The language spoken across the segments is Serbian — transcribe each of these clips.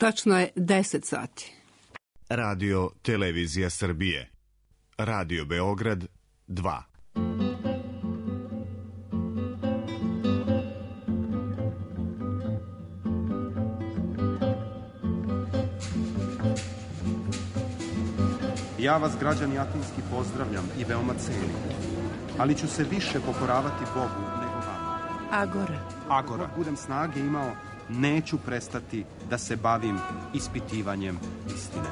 Tačno je 10 sati. Radio Televizija Srbije. Radio Beograd 2. Ja vas, građani Atinski, pozdravljam i veoma cenim, ali ću se više pokoravati Bogu nego vama. Agora. Dok budem snage imao, neću prestati da se bavim ispitivanjem istine.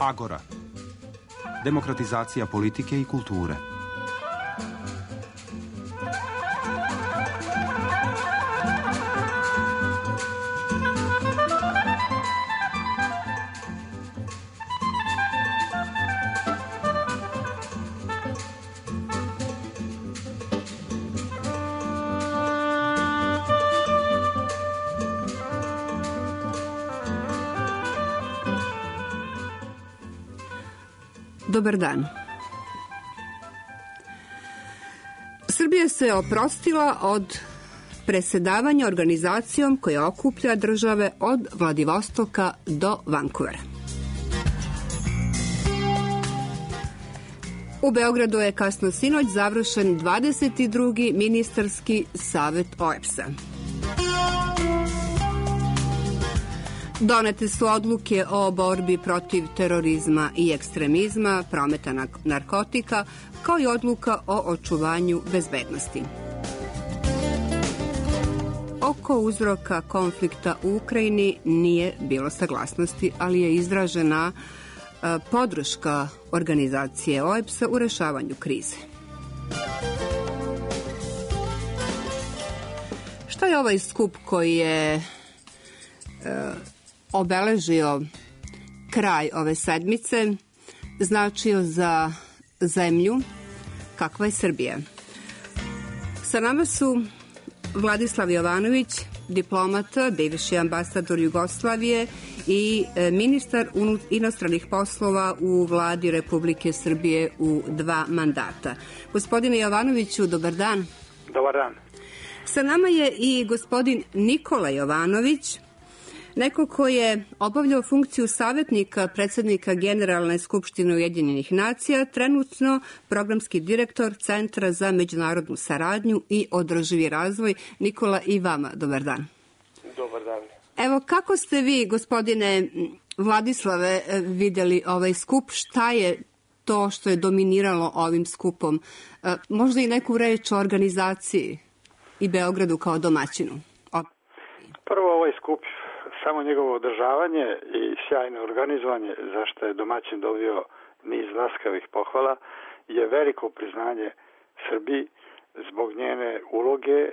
Agora. Demokratizacija politike i kulture. Dobar dan. Srbija se oprostila od presedavanja organizacijom koja okuplja države od Vladivostoka do Vancouvera. U Beogradu je kasno sinoć završen 22. ministarski savet OEBS-a. Donete su odluke o borbi protiv terorizma i ekstremizma, prometa narkotika, kao i odluka o očuvanju bezbednosti. Oko uzroka konflikta u Ukrajini nije bilo saglasnosti, ali je izražena podrška organizacije OEBS-a u rešavanju krize. Šta je ovaj skup koji je obeležio kraj ove sedmice značio za zemlju kakva je Srbija? Sa nama su Vladislav Jovanović, diplomata, bivši ambasador Jugoslavije i ministar inostranih poslova u Vladi Republike Srbije u 2 mandata. Gospodine Jovanoviću, dobar dan. Dobar dan. Sa nama je i gospodin Nikola Jovanović, neko ko je obavljao funkciju savjetnika predsjednika Generalne skupštine Ujedinjenih nacija, trenutno programski direktor Centra za međunarodnu saradnju i održivi razvoj. Nikola, i vama dobar dan. Dobar dan. Evo, kako ste vi, gospodine Vladislave, vidjeli ovaj skup? Šta je to što je dominiralo ovim skupom? Možda i neku reč o organizaciji i Beogradu kao domaćinu? Prvo, ovaj skup, samo njegovo održavanje i sjajno organizovanje, za što je domaćin dobio niz laskavih pohvala, je veliko priznanje Srbiji zbog njene uloge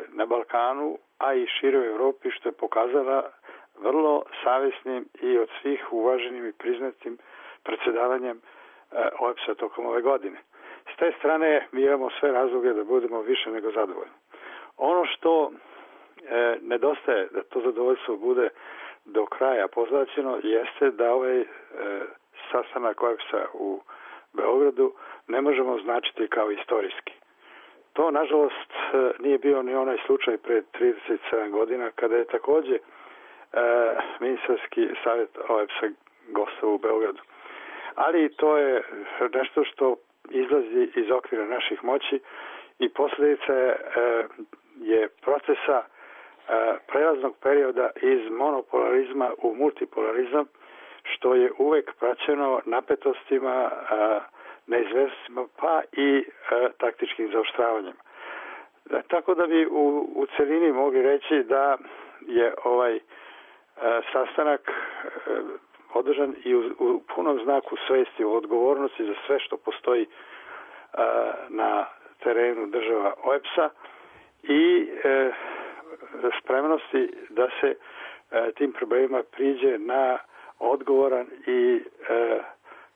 na Balkanu, a i široj Evropi, što je pokazala vrlo savjesnim i od svih uvaženim i priznatim predsjedavanjem OEBS-a tokom ove godine. S te strane mi imamo sve razloge da budemo više nego zadovoljni. Ono što nedostaje da to zadovoljstvo bude do kraja pozlaćeno jeste da ovaj sastanak OEBS-a u Beogradu ne možemo označiti kao istorijski. To, nažalost, nije bio ni onaj slučaj pre 37 godina kada je takođe ministarski savjet OEBS-a gostovao u Beogradu. Ali to je nešto što izlazi iz okvira naših moći i posljedica je procesa prelaznog perioda iz monopolarizma u multipolarizam, što je uvek praćeno napetostima, neizvestima, pa i taktičkim zaoštravanjem. Tako da bi u celini mogli reći da je ovaj sastanak održan i u punom znaku svesti o odgovornosti za sve što postoji na terenu država OEBS-a i spremnosti da se tim problemima priđe na odgovoran i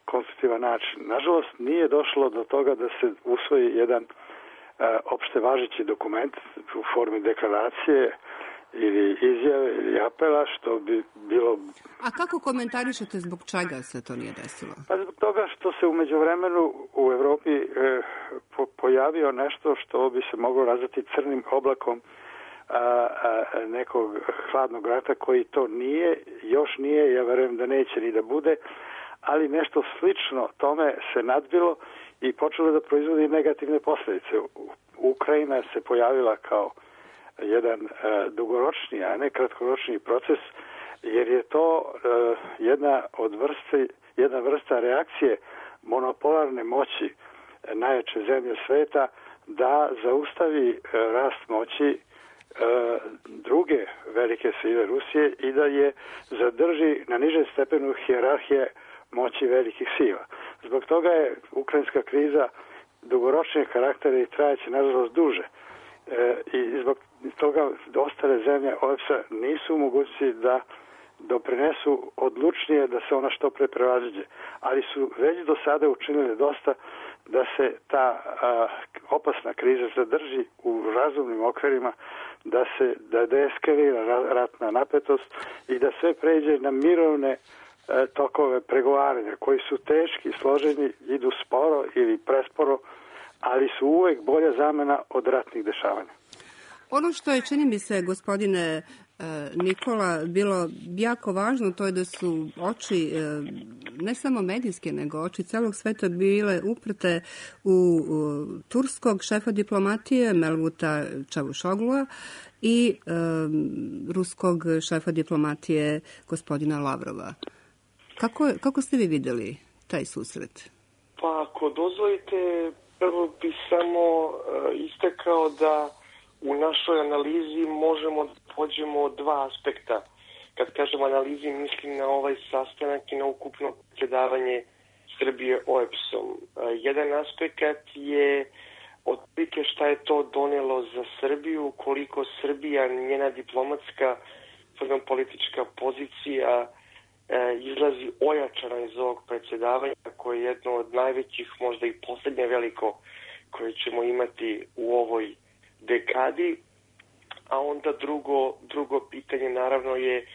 konstruktivan način. Nažalost, nije došlo do toga da se usvoji jedan opšte važeći dokument u formi deklaracije ili izjave ili apela, što bi bilo... A kako komentarišete zbog čega se to nije desilo? Pa zbog toga što se u međuvremenu u Evropi pojavio nešto što bi se moglo nazvati crnim oblakom nekog hladnog rata koji to nije, još nije, ja verujem da neće ni da bude, ali nešto slično tome se nadbilo i počelo da proizvodi negativne posljedice. Ukrajina se pojavila kao jedan dugoročni, a ne kratkoročni proces, jer je to jedna vrsta reakcije monopolarne moći najjače zemlje sveta da zaustavi rast moći druge velike sile Rusije i da je zadrži na nižem stepenu hijerarhije moći velikih sila. Zbog toga je ukrajinska kriza dugoročnijeg karaktera i trajaće nažalost duže. I zbog toga ostale zemlje OEBS-a nisu u mogućnosti da doprinesu odlučnije da se ona što pre prevaziđe. Ali su već do sada učinili dosta da se ta opasna kriza zadrži u razumnim okvirima, da deeskalira ratna napetost i da sve pređe na mirovne tokove pregovaranja koji su teški, složeni, idu sporo ili presporo, ali su uvek bolja zamena od ratnih dešavanja. Ono što je, čini mi se, gospodine Nikola, bilo jako važno, to je da su oči, ne samo medijske, nego oči celog sveta bile uprte u turskog šefa diplomatije Mevluta Čavuşoglua i ruskog šefa diplomatije gospodina Lavrova. Kako ste vi videli taj susret? Pa ako dozvolite, prvo bi samo istakao da u našoj analizi možemo da pođemo od dva aspekta. Kad kažem analizi, mislim na ovaj sastanak i na ukupno predsjedavanje Srbije OEBS-om. Jedan aspekt je otprilike šta je to donelo za Srbiju, koliko Srbija, njena diplomatska, politička pozicija izlazi ojačana iz ovog predsjedavanja, koje je jedno od najvećih, možda i posljednje veliko, koje ćemo imati u ovoj dekadi. A onda drugo pitanje naravno je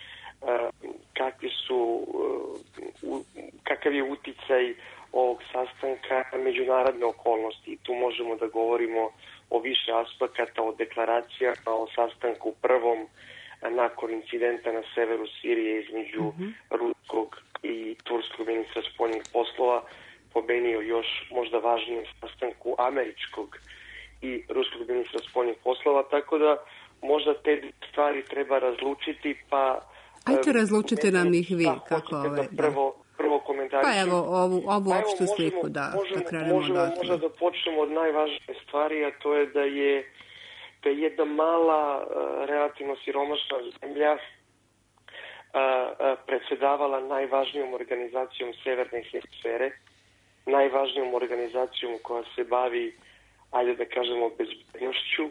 kakav je uticaj ovog sastanka na međunarodne okolnosti. Tu možemo da govorimo o više aspekata, o deklaracijama, o sastanku prvom nakon incidenta na severu Sirije između ruskog i turskog ministra spoljnih poslova, pomenio još možda važnijem sastanku američkog i ruskog ministra spoljnih poslova, tako da možda te stvari treba razlučiti, pa... Ajte, razlučite nam ih vi, kako prvo komentarišem. Pa evo, ovu opštu sliku, da krenemo možemo možda da počnemo od najvažnije stvari, a to je da je jedna mala, relativno siromašna zemlja predsjedavala najvažnijom organizacijom severne hemisfere, najvažnijom organizacijom koja se bavi, ajde da kažemo, bezbednošću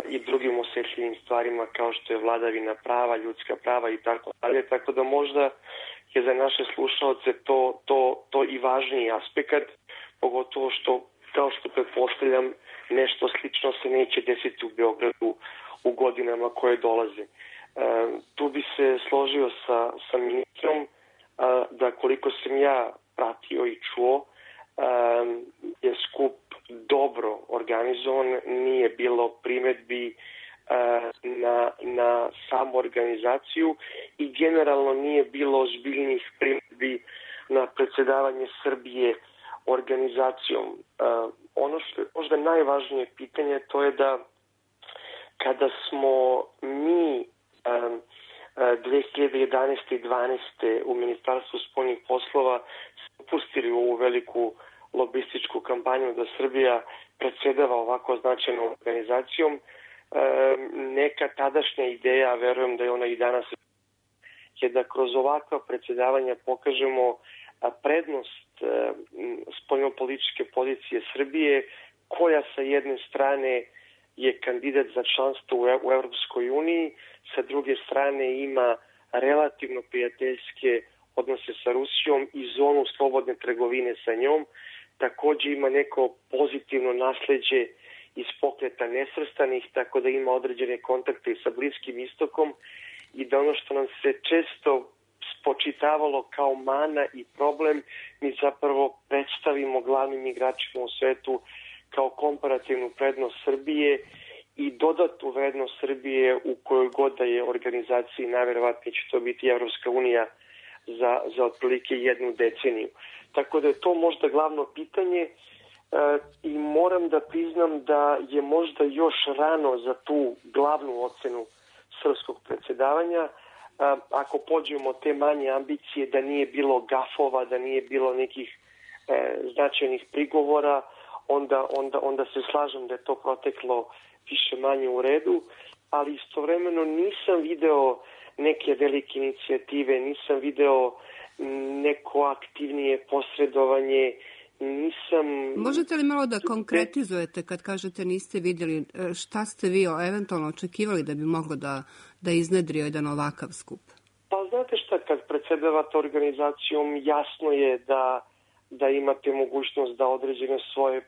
i drugim osjetljivim stvarima kao što je vladavina prava, ljudska prava i tako dalje. Tako da možda je za naše slušalce to i važniji aspekt, pogotovo što, kao što pretpostavljam, nešto slično se neće desiti u Beogradu u godinama koje dolaze. Tu bi se složio sa ministrom da koliko sam ja pratio i čuo, je skup dobro organizovan, nije bilo primjedbi na samu organizaciju i generalno nije bilo ozbiljnih primjedbi na predsjedavanje Srbije organizacijom. Ono što je možda najvažnije pitanje, to je da kada smo mi 2011. i 2012. u Ministarstvu spoljnih poslova upustili u ovu veliku lobističku kampanju da Srbija predsjedava ovako značajnom organizacijom, neka tadašnja ideja, verujem da je ona i danas, je da kroz ovakva predsjedavanja pokažemo prednost spoljnopolitičke pozicije Srbije, koja sa jedne strane je kandidat za članstvo u Europskoj uniji, sa druge strane ima relativno prijateljske odnose sa Rusijom i zonu slobodne trgovine sa njom. Također ima neko pozitivno nasljeđe iz pokreta nesvrstanih, tako da ima određene kontakte i sa Bliskim istokom i da ono što nam se često spočitavalo kao mana i problem, mi zapravo predstavimo glavnim igračima u svetu kao komparativnu prednost Srbije i dodatnu vrednost Srbije u kojoj god da je organizaciji, najverovatnije će to biti Evropska unija za otprilike 1 deceniju. Tako da je to možda glavno pitanje i moram da priznam da je možda još rano za tu glavnu ocenu srpskog predsjedavanja. Ako pođemo od te manje ambicije, da nije bilo gafova, da nije bilo nekih značajnih prigovora, onda se slažem da je to proteklo više manje u redu, ali istovremeno nisam video neke velike inicijative, nisam video neko aktivnije posredovanje, nisam... Možete li malo da konkretizujete kad kažete niste vidjeli, šta ste vi eventualno očekivali da bi moglo da iznedri jedan ovakav skup? Pa znate šta, kad predsjedavate organizacijom, jasno je da imate mogućnost da određene svoje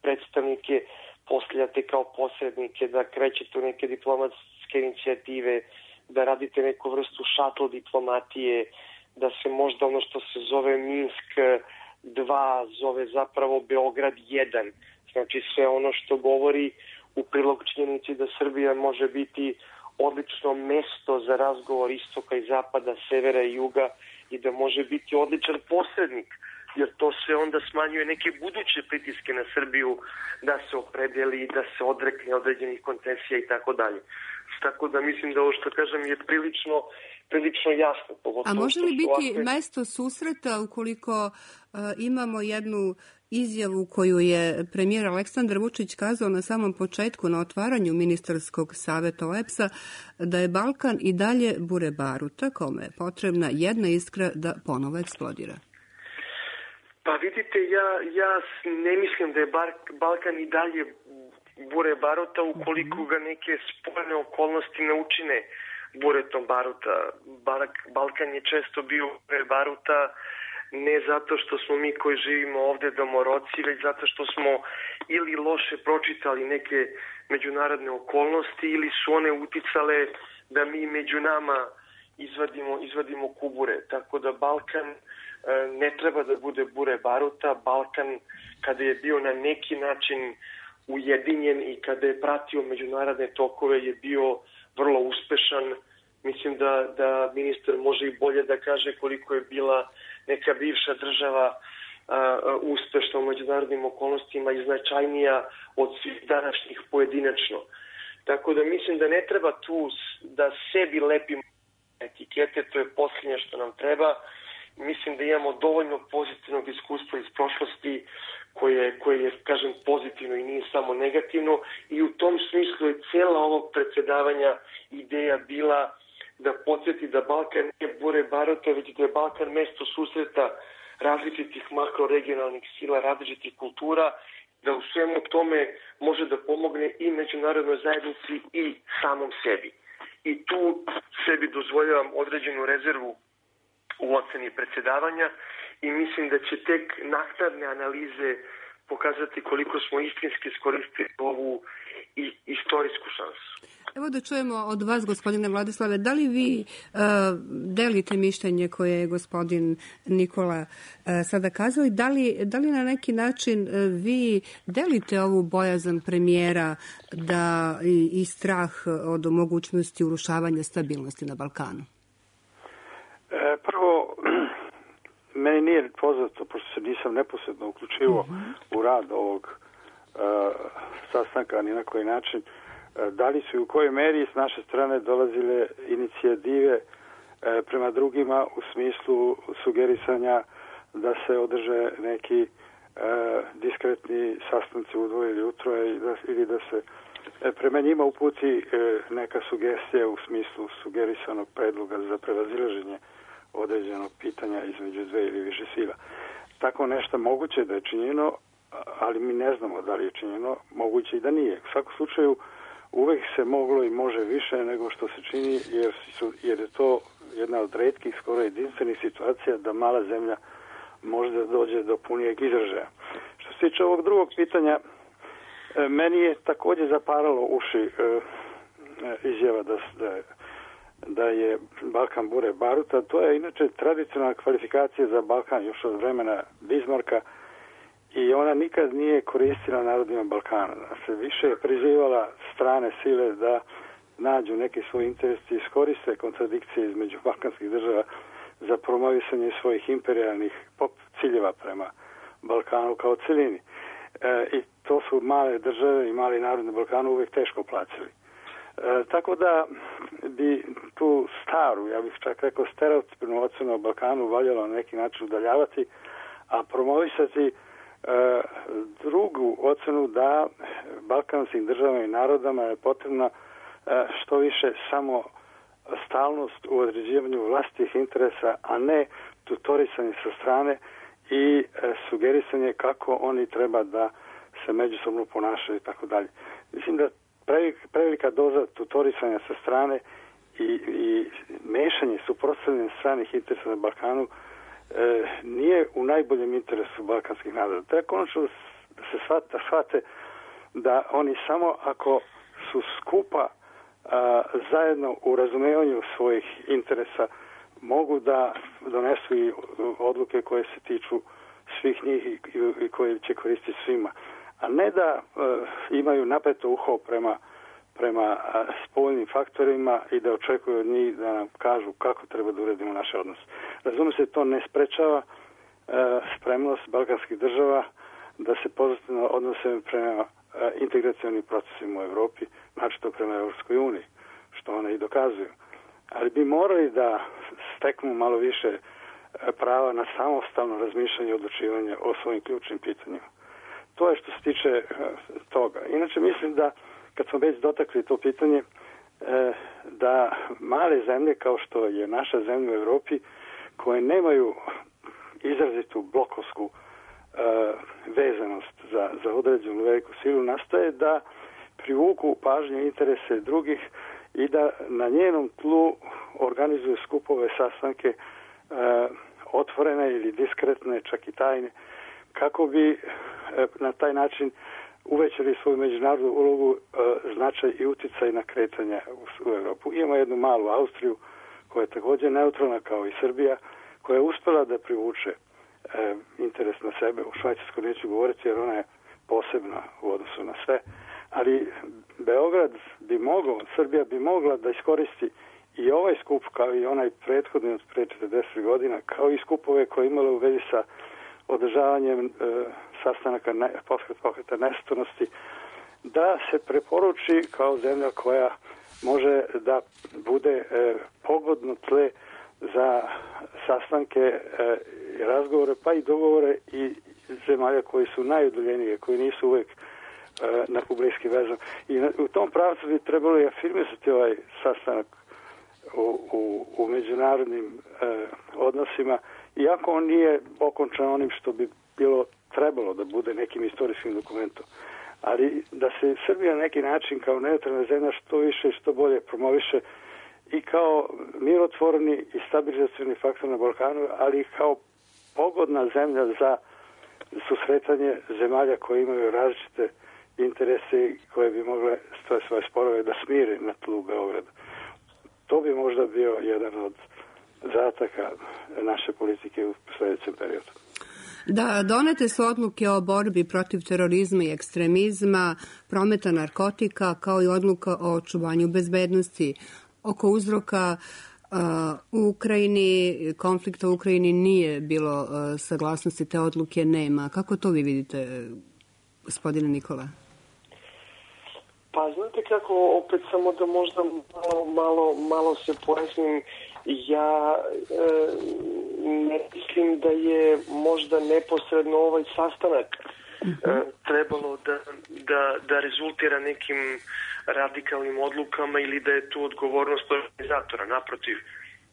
predstavnike postavljate kao posrednike, da krećete u neke diplomatske inicijative, da radite neku vrstu šatl diplomatije, da se možda ono što se zove Minsk 2 zove zapravo Beograd 1. Znači sve ono što govori u prilog činjenici da Srbija može biti odlično mesto za razgovor istoka i zapada, severa i juga i da može biti odličan posrednik, jer to se onda smanjuje neke buduće pritiske na Srbiju da se opredeli, da se odrekne određenih koncesija i tako dalje. Tako da mislim da ovo što kažem je prilično jasno. A može li biti mesto susreta ukoliko imamo jednu izjavu koju je premijer Aleksandar Vučić kazao na samom početku na otvaranju ministarskog saveta OEBS-a da je Balkan i dalje bure baruta kome je potrebna jedna iskra da ponovo eksplodira? Pa vidite, ja ne mislim da je Balkan i dalje bure baruta ukoliko ga neke spoljne okolnosti ne učine buretom baruta. Balkan je često bio bure baruta ne zato što smo mi koji živimo ovde domoroci, već zato što smo ili loše pročitali neke međunarodne okolnosti ili su one uticale da mi među nama izvadimo kubure. Tako da Balkan ne treba da bude bure baruta. Balkan kada je bio na neki način ujedinjen i kada je pratio međunarodne tokove je bio vrlo uspešan. Mislim da ministar može i bolje da kaže koliko je bila neka bivša država uspešna u međunarodnim okolnostima i značajnija od svih današnjih pojedinačno. Tako da mislim da ne treba tu da sebi lepimo etikete, to je posljednje što nam treba. Mislim da imamo dovoljno pozitivnog iskustva iz prošlosti koje je, kažem, pozitivno i nije samo negativno i u tom smislu je cijela ovog predsjedavanja ideja bila da podsjeti da Balkan nije bure baruta, već da je Balkan mesto susreta različitih makroregionalnih sila, različitih kultura, da u svemu tome može da pomogne i međunarodnoj zajednici i samom sebi. I tu sebi dozvoljavam određenu rezervu u oceni predsjedavanja i mislim da će tek naknadne analize pokazati koliko smo istinski iskoristili ovu istorijsku šansu. Evo da čujemo od vas, gospodine Vladislave, da li vi delite mišljenje koje je gospodin Nikola sada kazao i da li na neki način vi delite ovu bojazan premijera i strah od mogućnosti urušavanja stabilnosti na Balkanu? Prvo, meni nije poznato, pošto se nisam neposredno uključivo u rad ovog sastanka ni na koji način, da li su i u kojoj meri s naše strane dolazile inicijative prema drugima u smislu sugerisanja da se održe neki diskretni sastanci u dvoje ili utroje ili da se prema njima uputi neka sugestija u smislu sugerisanog predloga za prevazilaženje određenog pitanja između dve ili više sila. Tako nešto moguće da je činjeno, ali mi ne znamo da li je činjeno, moguće i da nije. U svakom slučaju uvek se moglo i može više nego što se čini, jer je to jedna od retkih, skoro jedinstvenih situacija da mala zemlja može da dođe do punijeg izražaja. Što se tiče ovog drugog pitanja, Meni je također zaparalo uši izjava da je Balkan bure baruta. To je inače tradicionalna kvalifikacija za Balkan još od vremena Bismarcka i ona nikad nije koristila narodima Balkana. Se više je prizivala strane sile da nađu neki svoj interes i iskoriste kontradikcije između balkanskih država za promovisanje svojih imperijalnih ciljeva prema Balkanu kao celini. I to su male države i mali narod na Balkanu uvijek teško plaćali. Tako da bi tu staru, ja bih čak rekao stereotipnu ocenu o Balkanu valjalo na neki način udaljavati, a promovisati drugu ocenu da balkanskim državama i narodama je potrebna što više samo stalnost u određivanju vlastitih interesa, a ne tutorisanje sa strane i sugerisanje kako oni treba da se međusobno ponašaju i tako dalje. Mislim da prevelika doza tutorisanja sa strane i mešanje, suprotstavljanje stranih interesa na Balkanu nije u najboljem interesu balkanskih naroda. Treba konačno da se shvate da oni samo ako su skupa zajedno u razumevanju svojih interesa mogu da donesu i odluke koje se tiču svih njih i koje će koristiti svima. A ne da imaju napeto uho prema spoljnim faktorima i da očekuju od njih da nam kažu kako treba da uredimo naše odnose. Razumije se, to ne sprečava spremnost balkanskih država da se pozitivno odnose prema integracionim procesima u Evropi, naročito prema Evropskoj uniji, što one i dokazuju. Ali bi morali da steknu malo više prava na samostalno razmišljanje i odlučivanje o svojim ključnim pitanjima. To je što se tiče toga. Inače mislim da, kad smo već dotakli to pitanje, da male zemlje kao što je naša zemlja u Evropi, koje nemaju izrazitu blokovsku vezanost za određenu veliku silu, nastoje da privuku pažnje i interese drugih i da na njenom tlu organizuju skupove, sastanke, otvorene ili diskretne, čak i tajne, kako bi na taj način uvećali svoju međunarodnu ulogu, značaj i uticaj na kretanje u Evropu. Imamo jednu malu Austriju koja je također neutralna kao i Srbija, koja je uspela da privuče interes na sebe. U Švajcarskoj neću govoriti jer ona je posebna u odnosu na sve. Ali Beograd bi mogao, Srbija bi mogla da iskoristi i ovaj skup kao i onaj prethodni od pre 40 godina, kao i skupove koje imale u vezi sa održavanjem sastanaka pokreta nesvrstanosti, da se preporuči kao zemlja koja može da bude pogodno tle za sastanke, razgovore, pa i dogovore i zemalja koji su najudaljenije, koji nisu uvijek na bliski vezan. I u tom pravcu bi trebalo i afirmisati ovaj sastanak u međunarodnim odnosima, iako on nije okončan onim što bi bilo trebalo da bude nekim istorijskim dokumentom. Ali da se Srbija na neki način kao neutralna zemlja što više i što bolje promoviše i kao mirotvorni i stabilizacioni faktor na Balkanu, ali i kao pogodna zemlja za susretanje zemalja koje imaju različite interese koje bi mogle svoje sporove da smire na tlu Beograda. To bi možda bio jedan od zadataka naše politike u sljedećem periodu. Da, donete su odluke o borbi protiv terorizma i ekstremizma, prometa narkotika, kao i odluka o očuvanju bezbednosti. Oko uzroka u Ukrajini, konflikta u Ukrajini nije bilo saglasnosti, te odluke nema. Kako to vi vidite, gospodine Nikola? Pa znate kako, opet samo da možda malo se pojasnim, ja ne mislim da je možda neposredno ovaj sastanak trebalo da rezultira nekim radikalnim odlukama ili da je tu odgovornost organizatora. Naprotiv,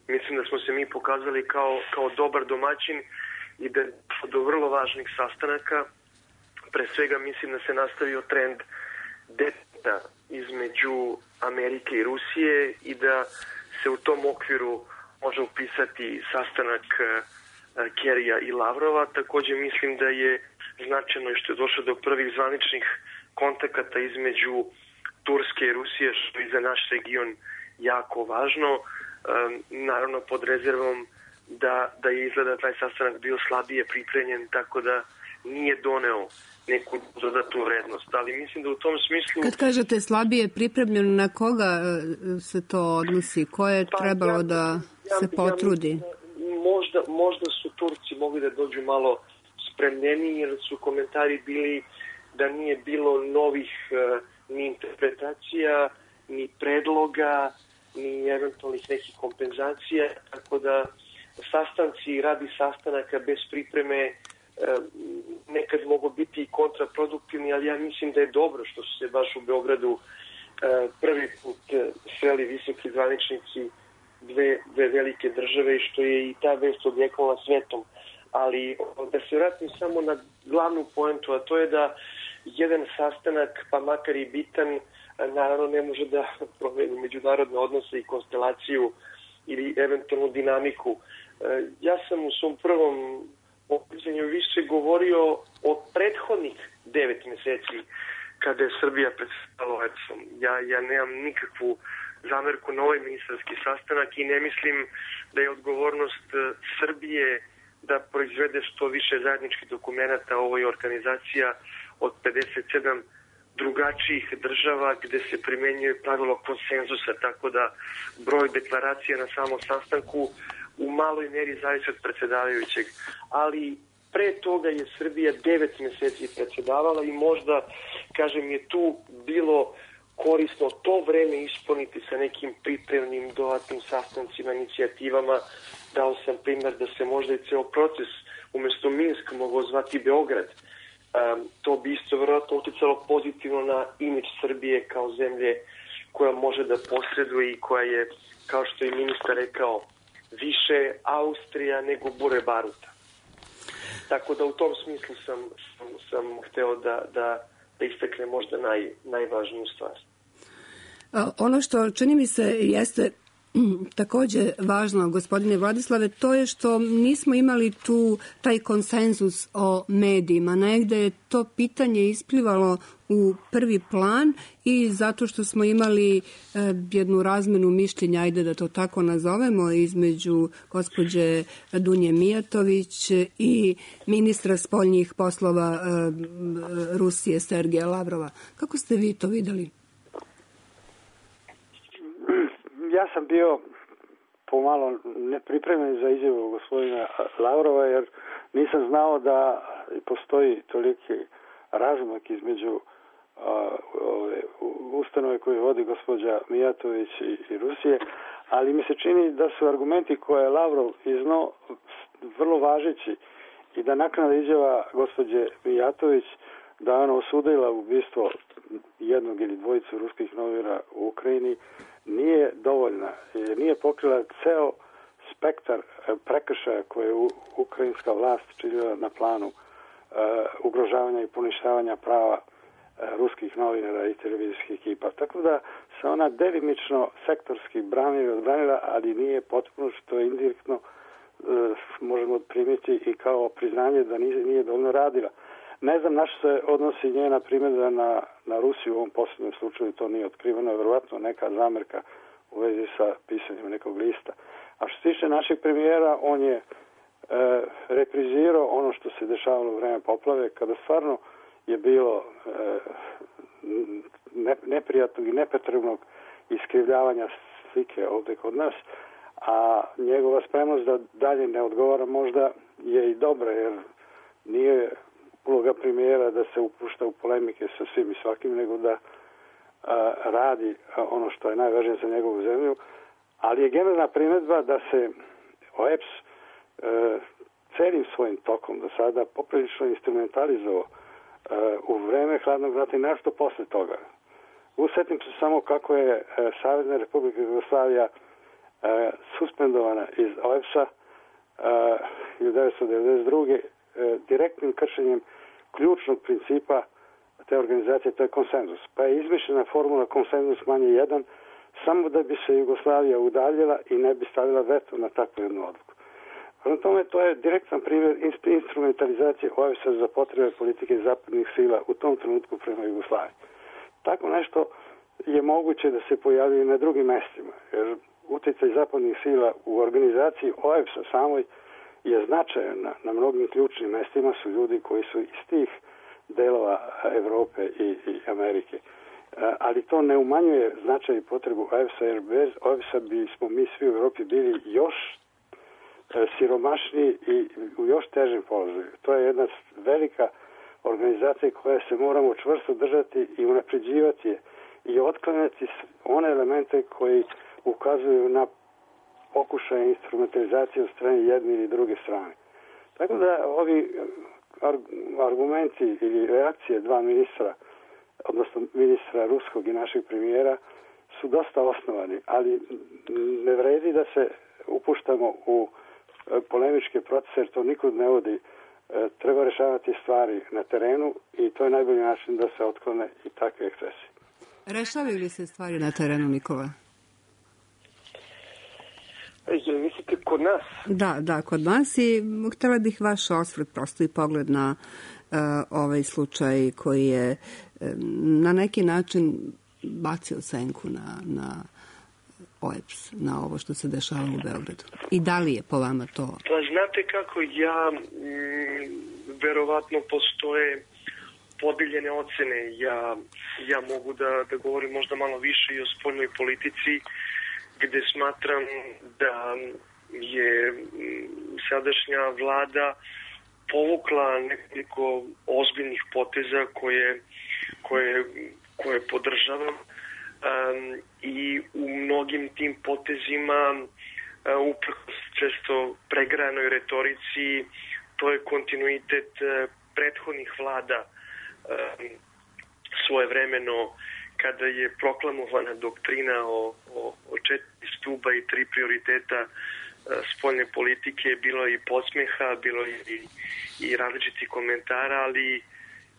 mislim da smo se mi pokazali kao dobar domaćin i da je do vrlo važnih sastanaka. Pre svega mislim da se nastavio trend deteta između Amerike i Rusije i da se u tom okviru može upisati sastanak Kerrya i Lavrova. Također mislim da je značajno što je došlo do prvih zvaničnih kontakata između Turske i Rusije, što je za naš region jako važno. Naravno, pod rezervom da je izgleda taj sastanak bio slabije pripremljen, tako da nije doneo neku dodatnu vrednost. Ali mislim da u tom smislu... Kad kažete slabije pripremljeno, na koga se to odnosi? Ko je trebalo da se potrudi? Možda su Turci mogli da dođu malo spremljeniji, jer su komentari bili da nije bilo novih ni interpretacija, ni predloga, ni eventualnih nekih kompenzacija, tako da sastanci radi sastanaka bez pripreme nekad mogu biti kontraproduktivni, ali ja mislim da je dobro što su se baš u Beogradu prvi put sreli visoki zvaničnici dve velike države i što je i ta vest odjeknula svetom. Ali da se vratim samo na glavnu poentu, a to je da jedan sastanak, pa makar i bitan, naravno ne može da promeni međunarodne odnose i konstelaciju ili eventualnu dinamiku. Ja sam u svom prvom obraćanju više govorio o prethodnih 9 meseci kada je Srbija predstavila OEBS-om. Ja nemam nikakvu zamerku na ovaj ministarski sastanak i ne mislim da je odgovornost Srbije da proizvede što više zajedničkih dokumenata. Ovo je organizacija od 57 drugačijih država gde se primenjuje pravilo konsenzusa, tako da broj deklaracija na samom sastanku u maloj meri zavisi od predsjedavajućeg. Ali pre toga je Srbija 9 meseci predsjedavala i možda, kažem, je tu bilo korisno to vreme ispuniti sa nekim pripremnim dodatnim sastancima, inicijativama. Dao sam primjer da se možda i ceo proces umjesto Minsk mogao zvati Beograd. To bi isto vjerojatno uticalo pozitivno na imidž Srbije kao zemlje koja može da posreduje i koja je, kao što je ministar rekao, više Austrija nego bure baruta. Tako da u tom smislu sam hteo da istakne možda najvažniju stvar. Ono što čini mi se jeste također važno, gospodine Vladislave, to je što nismo imali tu taj konsenzus o medijima. Negde je to pitanje isplivalo u prvi plan i zato što smo imali jednu razmenu mišljenja, ajde da to tako nazovemo, između gospođe Dunje Mijatović i ministra spoljnih poslova Rusije Sergeja Lavrova. Kako ste vi to videli? Ja sam bio pomalo nepripremljen za izjavu gospodina Lavrova, jer nisam znao da postoji toliki razmak između ustanove koju vodi gospođa Mijatović i Rusije, ali mi se čini da su argumenti koje je Lavrov iznao vrlo važeći i da naknadna izjava gospođe Mijatović da ona osudila ubistvo jednog ili dvojicu ruskih novinara u Ukrajini nije dovoljna. Nije pokrila ceo spektar prekršaja koje je ukrajinska vlast činila na planu ugrožavanja i poništavanja prava ruskih novinara i televizijskih ekipa. Tako da se ona delimično sektorski odbranila, ali nije potpuno, što je indirektno možemo primiti i kao priznanje da nije dovoljno radila. Ne znam na što se odnosi njena primjedba na Rusiju u ovom posljednjem slučaju, to nije otkriveno, je vjerovatno neka zamerka u vezi sa pisanjem nekog lista. A što se tiče našeg premijera, on je reprizirao ono što se dešavalo u vreme poplave, kada stvarno je bilo neprijatnog i nepotrebnog iskrivljavanja slike ovdje kod nas, a njegova spremnost da dalje ne odgovara možda je i dobra, jer nije uloga premijera da se upušta u polemike sa svim i svakim, nego da radi ono što je najvažnije za njegovu zemlju, ali je generalna primjedba da se OEBS celim svojim tokom do sada poprilično instrumentalizovao u vreme hladnog rata i nešto posle toga. Usjetim se samo kako je Savezna Republika Jugoslavija suspendovana iz OEBS-a 1992. Direktnim kršenjem ključnog principa te organizacije, to je konsenzus. Pa je izmišljena formula konsenzus manje 1, samo da bi se Jugoslavija udaljila i ne bi stavila veto na takvu jednu odluku. Na tome to je direktan primjer instrumentalizacije OEBS-a za potrebe politike zapadnih sila u tom trenutku prema Jugoslaviji. Tako nešto je moguće da se pojavi na drugim mestima, jer utjecaj zapadnih sila u organizaciji OEBS-a samoj je značajan na mnogim ključnim mestima, su ljudi koji su iz tih delova Evrope i Amerike. Ali to ne umanjuje značaj i potrebu OEBS-a, jer bez OEBS-a bismo mi svi u Evropi bili još siromašniji i u još težem položaju. To je jedna velika organizacija koja se moramo čvrsto držati i unapređivati i otklanjati one elemente koji ukazuju na pokušaje instrumentalizacije od strane jedne ili druge strane. Tako da ovi argumenti ili reakcije dva ministra, odnosno ministra ruskog i našeg premijera, su dosta osnovani, ali ne vredi da se upuštamo u polemičke procese, jer to nikud ne vodi. Treba rešavati stvari na terenu i to je najbolji način da se otklone i takve ekscesi. Rešavaju li se stvari na terenu, Nikola? Mislite kod nas? Da, kod nas, i htjela bih vaš osvrt, prosto i pogled na ovaj slučaj koji je na neki način bacio senku na OEBS, na ovo što se dešava u Beogradu. I da li je po vama to? Pa znate kako, verovatno postoje podeljene ocene. Ja mogu da govorim možda malo više i o spoljnoj politici, gde smatram da je sadašnja vlada povukla nekoliko ozbiljnih poteza koje podržavam, i u mnogim tim potezima, uprkos često pregrajanoj retorici, to je kontinuitet prethodnih vlada. Svojevremeno, kada je proklamovana doktrina o 4 stuba i 3 prioriteta spoljne politike, bilo je i podsmeha, bilo je i različitih komentara, ali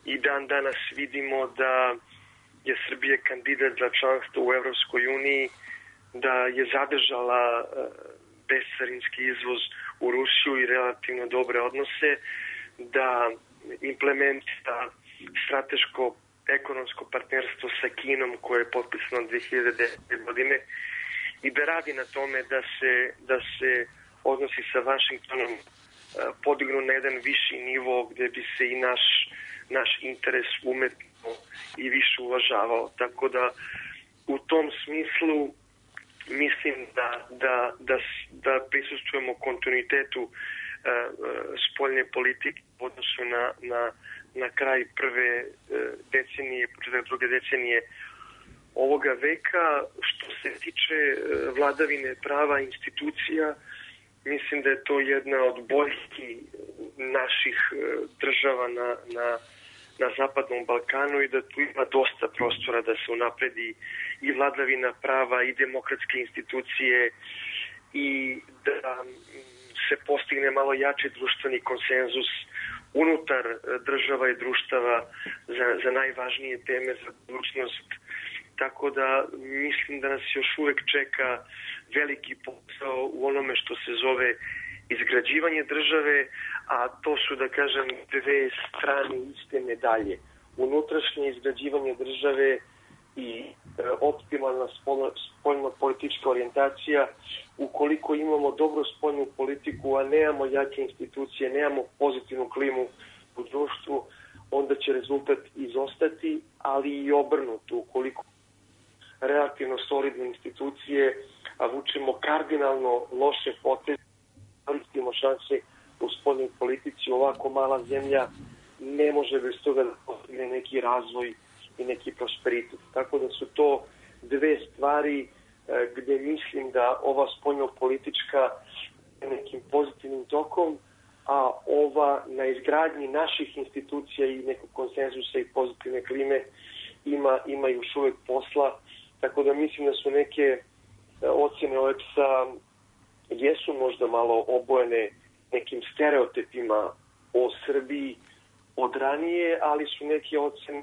i dan danas vidimo da je Srbija kandidat za članstvo u Evropskoj uniji, da je zadržala bescarinski izvoz u Rusiju i relativno dobre odnose, da implementira strateško ekonomsko partnerstvo sa Kinom koje je potpisano 2010. godine i da radi na tome da se odnosi sa Vašingtonom podignu na jedan viši nivo gde bi se i naš interes umetno i više uvažavao. Tako da u tom smislu mislim da prisustvujemo kontinuitetu spoljne politike u odnosu na kraj prve decenije, početak druge decenije ovoga veka. Što se tiče vladavine prava institucija, mislim da je to jedna od boljki naših država na Zapadnom Balkanu i da tu ima dosta prostora da se unapredi i vladavina prava i demokratske institucije i da se postigne malo jači društveni konsenzus unutar država i društava za najvažnije teme za budućnost. Tako da mislim da nas još uvek čeka veliki posao u onome što se zove izgrađivanje države, a to su, da kažem, dve strane iste medalje. Unutrašnje izgrađivanje države i optimalna spoljno-politička orijentacija. Ukoliko imamo dobru spoljnu politiku, a nemamo jake institucije, nemamo pozitivnu klimu u društvu, onda će rezultat izostati, ali i obrnuto. Ukoliko relativno solidne institucije, a vučemo kardinalno loše poteze, koristimo šanse u spoljnoj politici, ovako mala zemlja ne može bez toga da postigne neki razvoj i neki prosperitet. Tako da su to dve stvari gde mislim da ova spoljno-politička nekim pozitivnim tokom, a ova na izgradnji naših institucija i nekog konsenzusa i pozitivne klime ima još uvek posla. Tako da mislim da su neke ocjene OEBS-a jesu možda malo obojene nekim stereotipima o Srbiji od ranije, ali su neke ocjene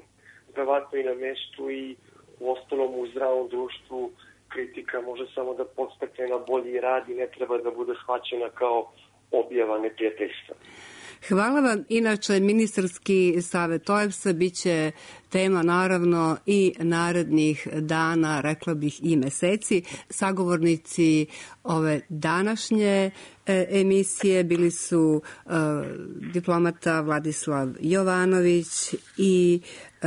verovatno i na mestu i u ostalom u zdravom društvu kritika može samo da podstakne na bolji rad i ne treba da bude shvaćena kao objava neprijateljstva. Hvala vam. Inače, ministarski savet OEBS-a biće tema naravno i narednih dana, rekla bih i meseci. Sagovornici ove današnje emisije bili su diplomata Vladislav Jovanović i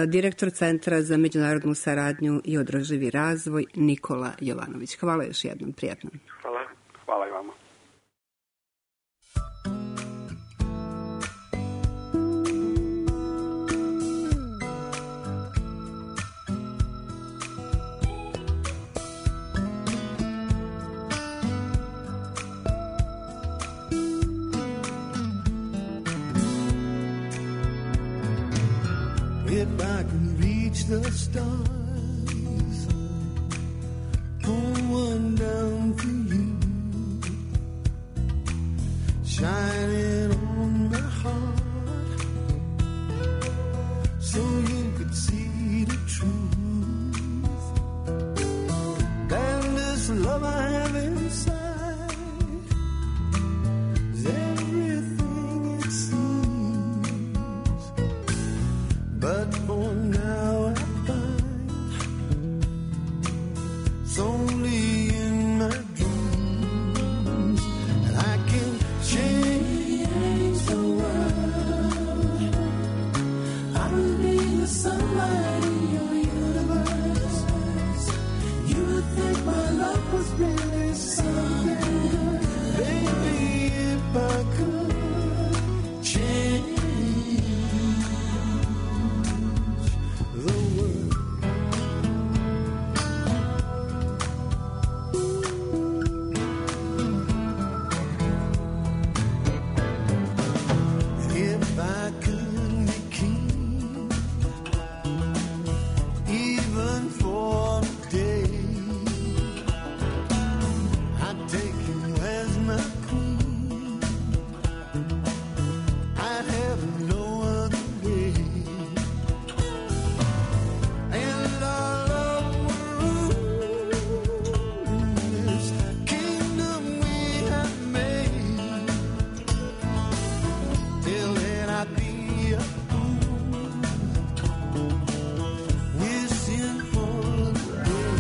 direktor Centra za međunarodnu saradnju i održivi razvoj Nikola Jovanović. Hvala još jednom, prijatno. Hvala. Hvala i vama. If I can reach the stars, pull one down for you, shining on my heart, so you could see the truth. And this love I have inside is everything it seems. But for now I find it's only in my dreams that I can change the world. I will be the sunlight in your universe. You would think my love was really something good. Baby, if I could change the world. If I could be king, even for a day, I'd take you as my queen. I'd have no other way. And our love will rule this kingdom we have made. Till then I'd be a fool, wishing for the day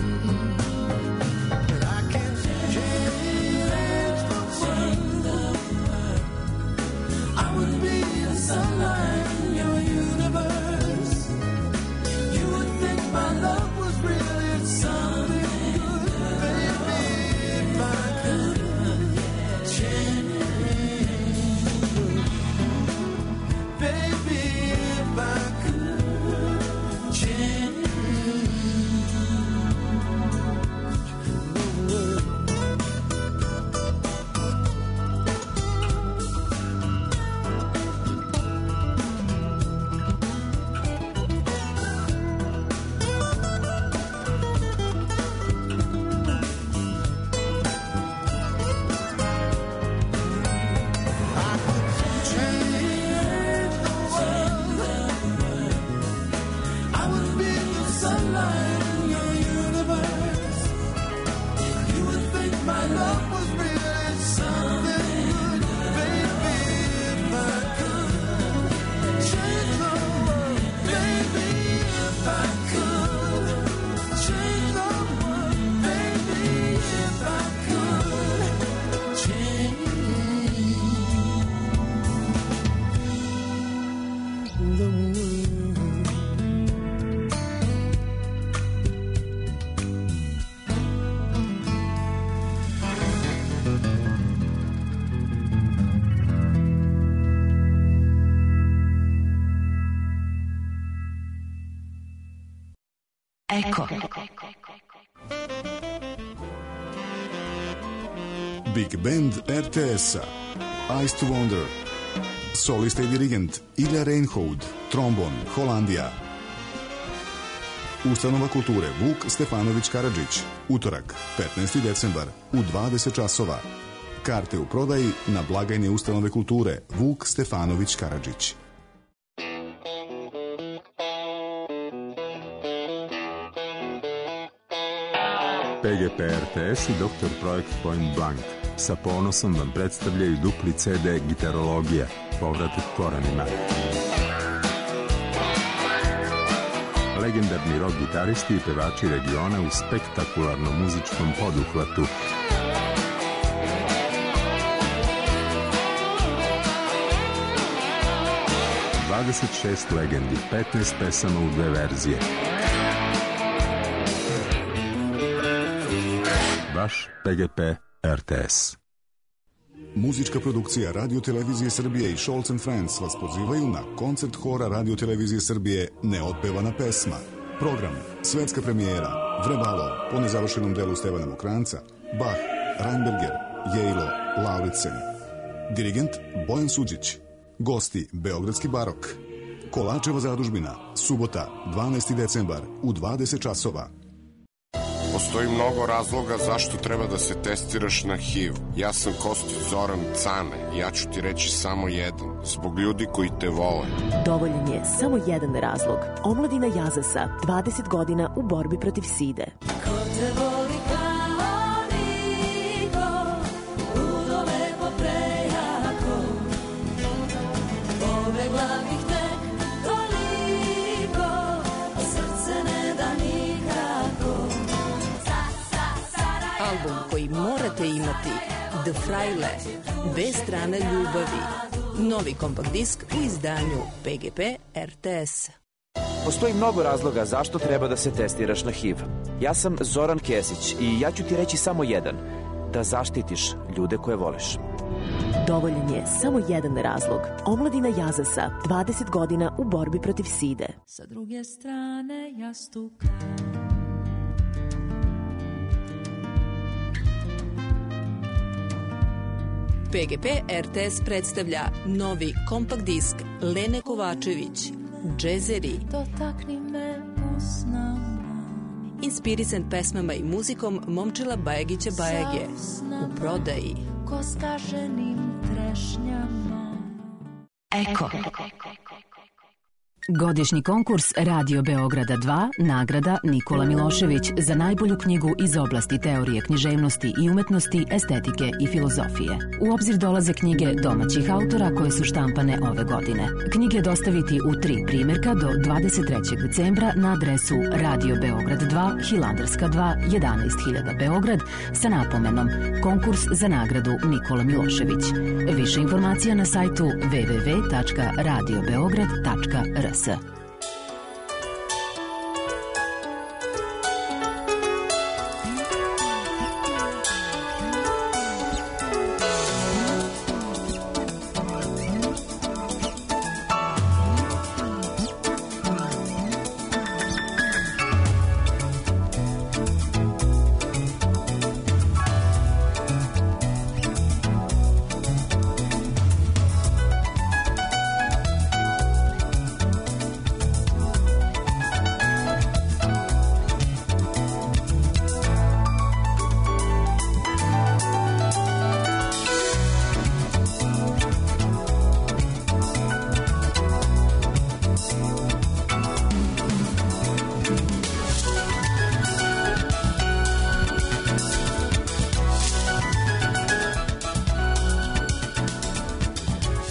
that I can change the world. I would be the sunlight in your universe. You would think my love was really something good. Baby, if I could change the world. Baby, if I could change the world. I would be the sunlight in your universe. You would think my love was really something good. Baby, if I could change the world. Baby, if I could change the world. Baby, if I could change the world. Eko. Big Band RTS-a Ice to Wonder. Solista i dirigent Ilja Reinhold, trombon Holandija. Ustanova kulture Vuk Stefanović Karadžić, utorak 15. decembar u 20 časova. Karte u prodaji na blagajni Ustanove kulture Vuk Stefanović Karadžić. PGP RTS i Dr. Projekt Point Blank. sa ponosom vam predstavljaju dupli CD Gitarologija, povratak korenima. Legendarni rock gitaristi i pevači regiona u spektakularnom muzičkom poduhvatu. ...26 legendi, 15 pesama u 2 verzije. Vaš PGP RTS. Muzička produkcija Radio-televizije Srbije i Scholz & Friends vas pozivaju na koncert hora Radio-televizije Srbije Neotpevana pesma. Program, svetska premijera, Vrebalo, po nezavršenom delu Stevana Mokranca, Bach, Reinberger, Jejlo, Lauritsen. Dirigent Bojan Suđić. Gosti Beogradski barok. Kolačeva zadužbina, subota, 12. decembar u 20 časova. Postoji mnogo razloga zašto treba da se testiraš na HIV. Ja sam Kostić Zoran Cane. Ja ću ti reći samo jedan. Zbog ljudi koji te vole. Dovoljan je samo jedan razlog. Omladina Jazasa, 20 godina u borbi protiv side. Ko te voli kao niko, udove po prejako, pobegla bih tek toliko, a srce ne da nikako. Album koji morate imati, The Fraile, dve strane ljubavi. Novi kompakt disk u izdanju PGP RTS. Postoji mnogo razloga zašto treba da se testiraš na HIV. Ja sam Zoran Kesić i ja ću ti reći samo jedan. Da zaštitiš ljude koje voliš. Dovoljan je samo jedan razlog. Omladina Jazasa, 20 godina u borbi protiv side. Sa druge strane jastuka. PGP RTS predstavlja novi kompakt disk Lene Kovačević, Džezeri. Dotakni me usnama. Inspirisan pesmama i muzikom Momčila Bajagića Bajage. U prodaji. Ko skaženim trešnjama. Eko. Godišnji konkurs Radio Beograda 2, nagrada Nikola Milošević za najbolju knjigu iz oblasti teorije književnosti i umetnosti, estetike i filozofije. U obzir dolaze knjige domaćih autora koje su štampane ove godine. Knjige dostaviti u 3 primjerka do 23. decembra na adresu Radio Beograd 2, Hilandarska 2, 11.000 Beograd sa napomenom Konkurs za nagradu Nikola Milošević. Više informacija na sajtu www.radiobeograd.rs.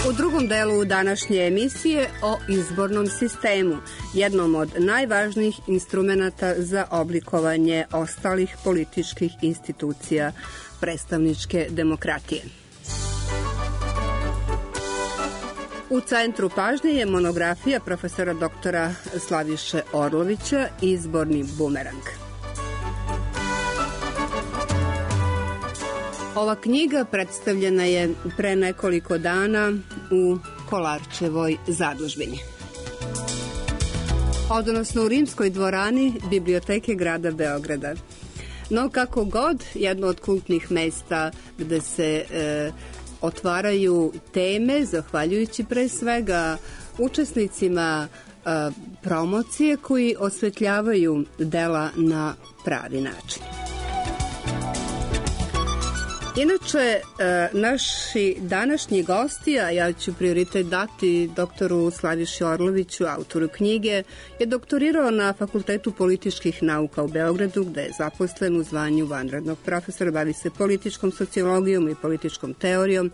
U drugom delu današnje emisije o izbornom sistemu, jednom od najvažnijih instrumenata za oblikovanje ostalih političkih institucija predstavničke demokratije. U centru pažnje je monografija profesora doktora Slaviše Orlovića Izborni bumerang. Ova knjiga predstavljena je pre nekoliko dana u Kolarčevoj zadužbini, odnosno u Rimskoj dvorani Biblioteke grada Beograda. No kako god, jedno od kultnih mesta gde se otvaraju teme, zahvaljujući pre svega učesnicima promocije koji osvetljavaju dela na pravi način. Inače, naši današnji gosti, a ja ću prioritet dati doktoru Slaviši Orloviću, autoru knjige, je doktorirao na Fakultetu političkih nauka u Beogradu, gde je zaposlen u zvanju vanrednog profesora, bavi se političkom sociologijom i političkom teorijom,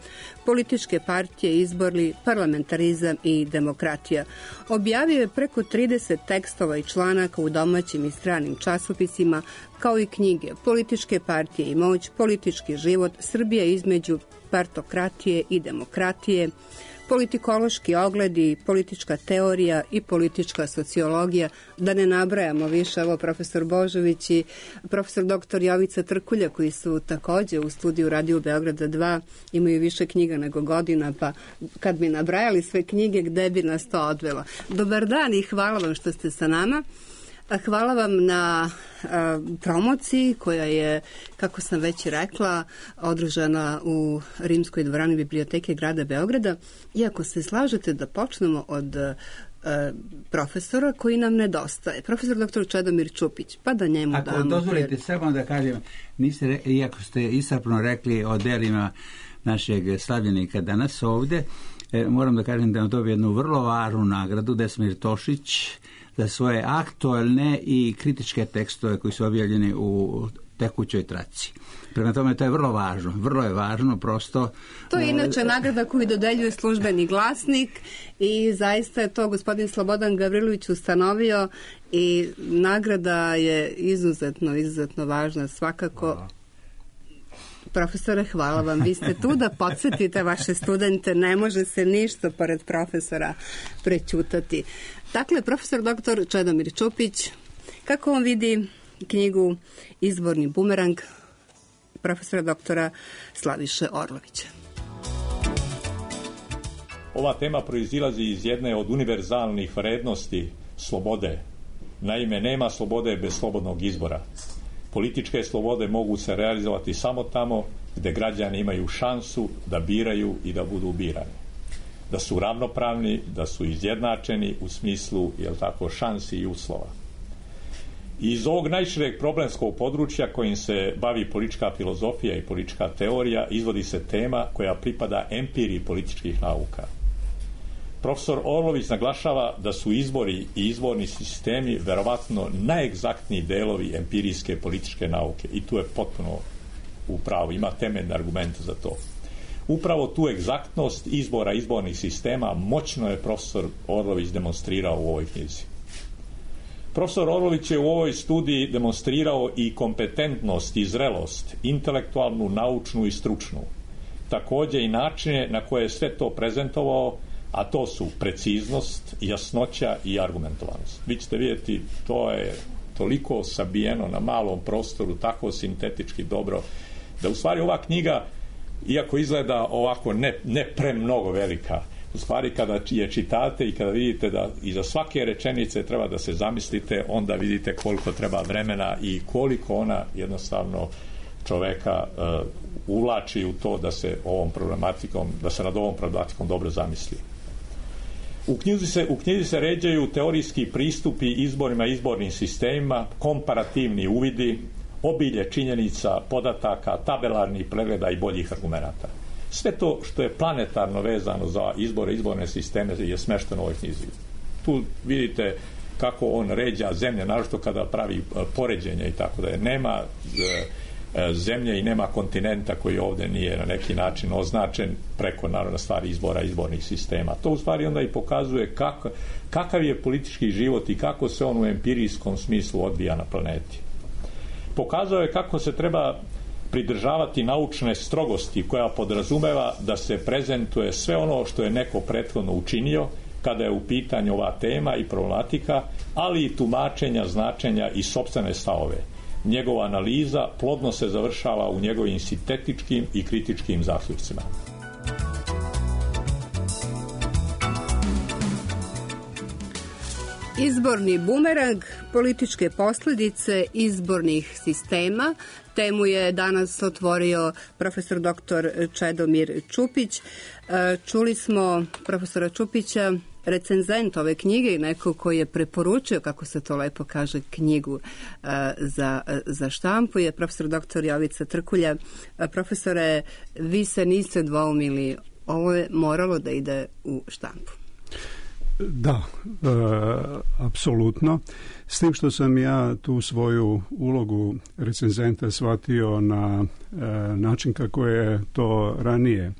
političke partije, izborni, parlamentarizam i demokratija. Objavio je preko 30 tekstova i članaka u domaćim i stranim časopisima, kao i knjige Političke partije i moć, Politički život, Srbija između partokratije i demokratije, Politikološki ogledi, Politička teorija i Politička sociologija, da ne nabrajamo više. Evo, profesor Božović i profesor doktor Jovica Trkulja, koji su takođe u studiju Radio Beograda 2, imaju više knjiga nego godina, pa kad bi nabrajali sve knjige, gde bi nas to odvelo? Dobar dan i hvala vam što ste sa nama. Hvala vam na promociji koja je, kako sam već rekla, održana u Rimskoj dvorani Biblioteke grada Beograda. Iako se slažete da počnemo od profesora koji nam nedostaje. Profesor dr. Čedomir Čupić, pa da njemu damo. Ako dozvolite samo da kažem, iako ste iscrpno rekli o delima našeg slavljenika danas ovde, moram da kažem da nam dobije jednu vrlo važnu nagradu, Desmir Tošić, za svoje aktualne i kritičke tekstove koji su objavljeni u tekućoj traci. Prema tome, to je vrlo važno. Vrlo je važno, prosto. To je inače nagrada koju dodeljuje Službeni glasnik i zaista je to gospodin Slobodan Gavrilović ustanovio i nagrada je izuzetno važna svakako. Profesore, hvala vam. Vi ste tu da podsjetite vaše studente. Ne može se ništa pored profesora prećutati. Dakle, profesor dr. Čedomir Čupić, kako on vidi knjigu Izborni bumerang profesora doktora Slaviše Orlovića? Ova tema proizilazi iz jedne od univerzalnih vrednosti slobode. Naime, nema slobode bez slobodnog izbora. Političke slobode mogu se realizovati samo tamo gde građani imaju šansu da biraju i da budu birani. Da su ravnopravni, da su izjednačeni u smislu, šansi i uslova. Iz ovog najšireg problemskog područja kojim se bavi politička filozofija i politička teorija izvodi se tema koja pripada empiriji političkih nauka. Profesor Orlović naglašava da su izbori i izborni sistemi verovatno najegzaktniji delovi empirijske političke nauke i tu je potpuno u pravu, ima temeljne argumente za to. Upravo tu egzaktnost izbora izbornih sistema moćno je profesor Orlović demonstrirao u ovoj knjizi. Profesor Orlović je u ovoj studiji demonstrirao i kompetentnost i zrelost, intelektualnu, naučnu i stručnu. Takođe i načine na koje je sve to prezentovao, a to su preciznost, jasnoća i argumentovanost. Vi ćete vidjeti, to je toliko sabijeno na malom prostoru, tako sintetički dobro, da u stvari ova knjiga, iako izgleda ovako ne premnogo velika, u stvari kada je čitate i kada vidite da iza svake rečenice treba da se zamislite, onda vidite koliko treba vremena i koliko ona jednostavno čoveka uvlači u to da se nad ovom problematikom dobro zamisli. U knjizi se ređaju teorijski pristupi izborima i izbornim sistemima, komparativni uvidi, obilje činjenica, podataka, tabelarnih pregleda i boljih argumenata. Sve to što je planetarno vezano za izbore, izborne sisteme je smešteno u ovoj knjizi. Tu vidite kako on ređa zemlje, naročito kada pravi poređenja i tako da je. Nema zemlje i nema kontinenta koji ovde nije na neki način označen preko, naravno, stvari izbora, izbornih sistema. To u stvari onda i pokazuje kakav je politički život i kako se on u empirijskom smislu odvija na planeti. Pokazao je kako se treba pridržavati naučne strogosti koja podrazumeva da se prezentuje sve ono što je neko prethodno učinio kada je u pitanju ova tema i problematika, ali i tumačenja, značenja i sopstvene stavove. Njegova analiza plodno se završava u njegovim sintetičkim i kritičkim zaključcima. Izborni bumerang, političke posljedice izbornih sistema. Temu je danas otvorio profesor dr. Čedomir Čupić. Čuli smo profesora Čupića recenzent ove knjige i neko koji je preporučio, kako se to lepo kaže, knjigu za štampu je profesor dr. Jovica Trkulja. Profesore, vi se niste dvoumili, ovo je moralo da ide u štampu. Da, apsolutno. S tim što sam ja tu svoju ulogu recenzenta shvatio na način kako je to ranije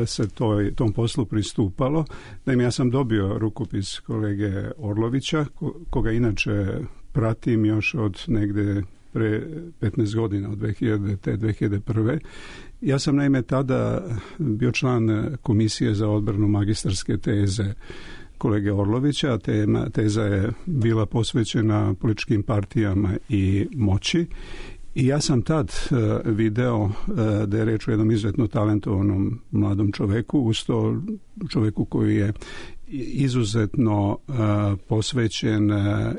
se tom poslu pristupalo. Naime, ja sam dobio rukopis kolege Orlovića, koga inače pratim još od negde pre 15 godina, od 2001. Ja sam naime tada bio član komisije za odbranu magistarske teze kolege Orlovića. Teza je bila posvećena političkim partijama i moći. I ja sam tad video da je reč o jednom izuzetno talentovanom mladom čoveku, uz to čoveku koji je izuzetno posvećen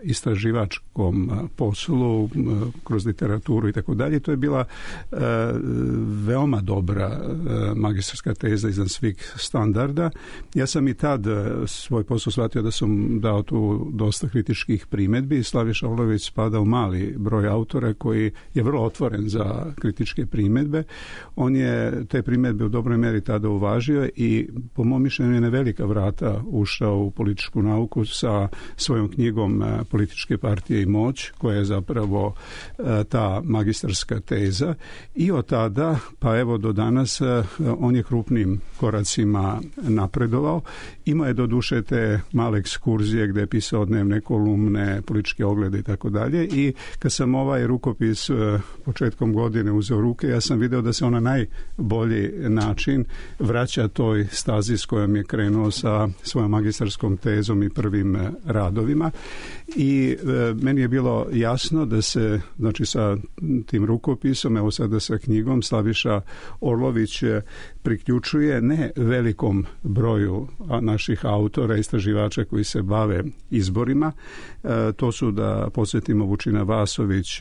istraživačkom poslu kroz literaturu i tako dalje. To je bila veoma dobra magistarska teza iznad svih standarda. Ja sam i tad svoj posao shvatio da sam dao tu dosta kritičkih primedbi. Slaviša Orlović spada u mali broj autora koji je vrlo otvoren za kritičke primedbe. On je te primedbe u dobroj meri tada uvažio i po mom mišljenju je na velika vrata ušao u političku nauku sa svojom knjigom Političke partije i moć, koja je zapravo ta magistarska teza. I od tada, pa evo do danas, on je krupnim koracima napredovao. Imao je doduše te male ekskurzije gde je pisao dnevne kolumne, političke oglede i tako dalje. I kad sam ovaj rukopis početkom godine uzeo ruke, ja sam video da se on na najbolji način vraća toj stazi s kojom je krenuo sa svojom magistarskom tezom i prvim radovima. I meni je bilo jasno da se, znači sa tim rukopisom, evo sada sa knjigom, Slaviša Orlović priključuje ne velikom broju naših autora, istraživača koji se bave izborima. To su, da podsjetimo, Vučina Vasović,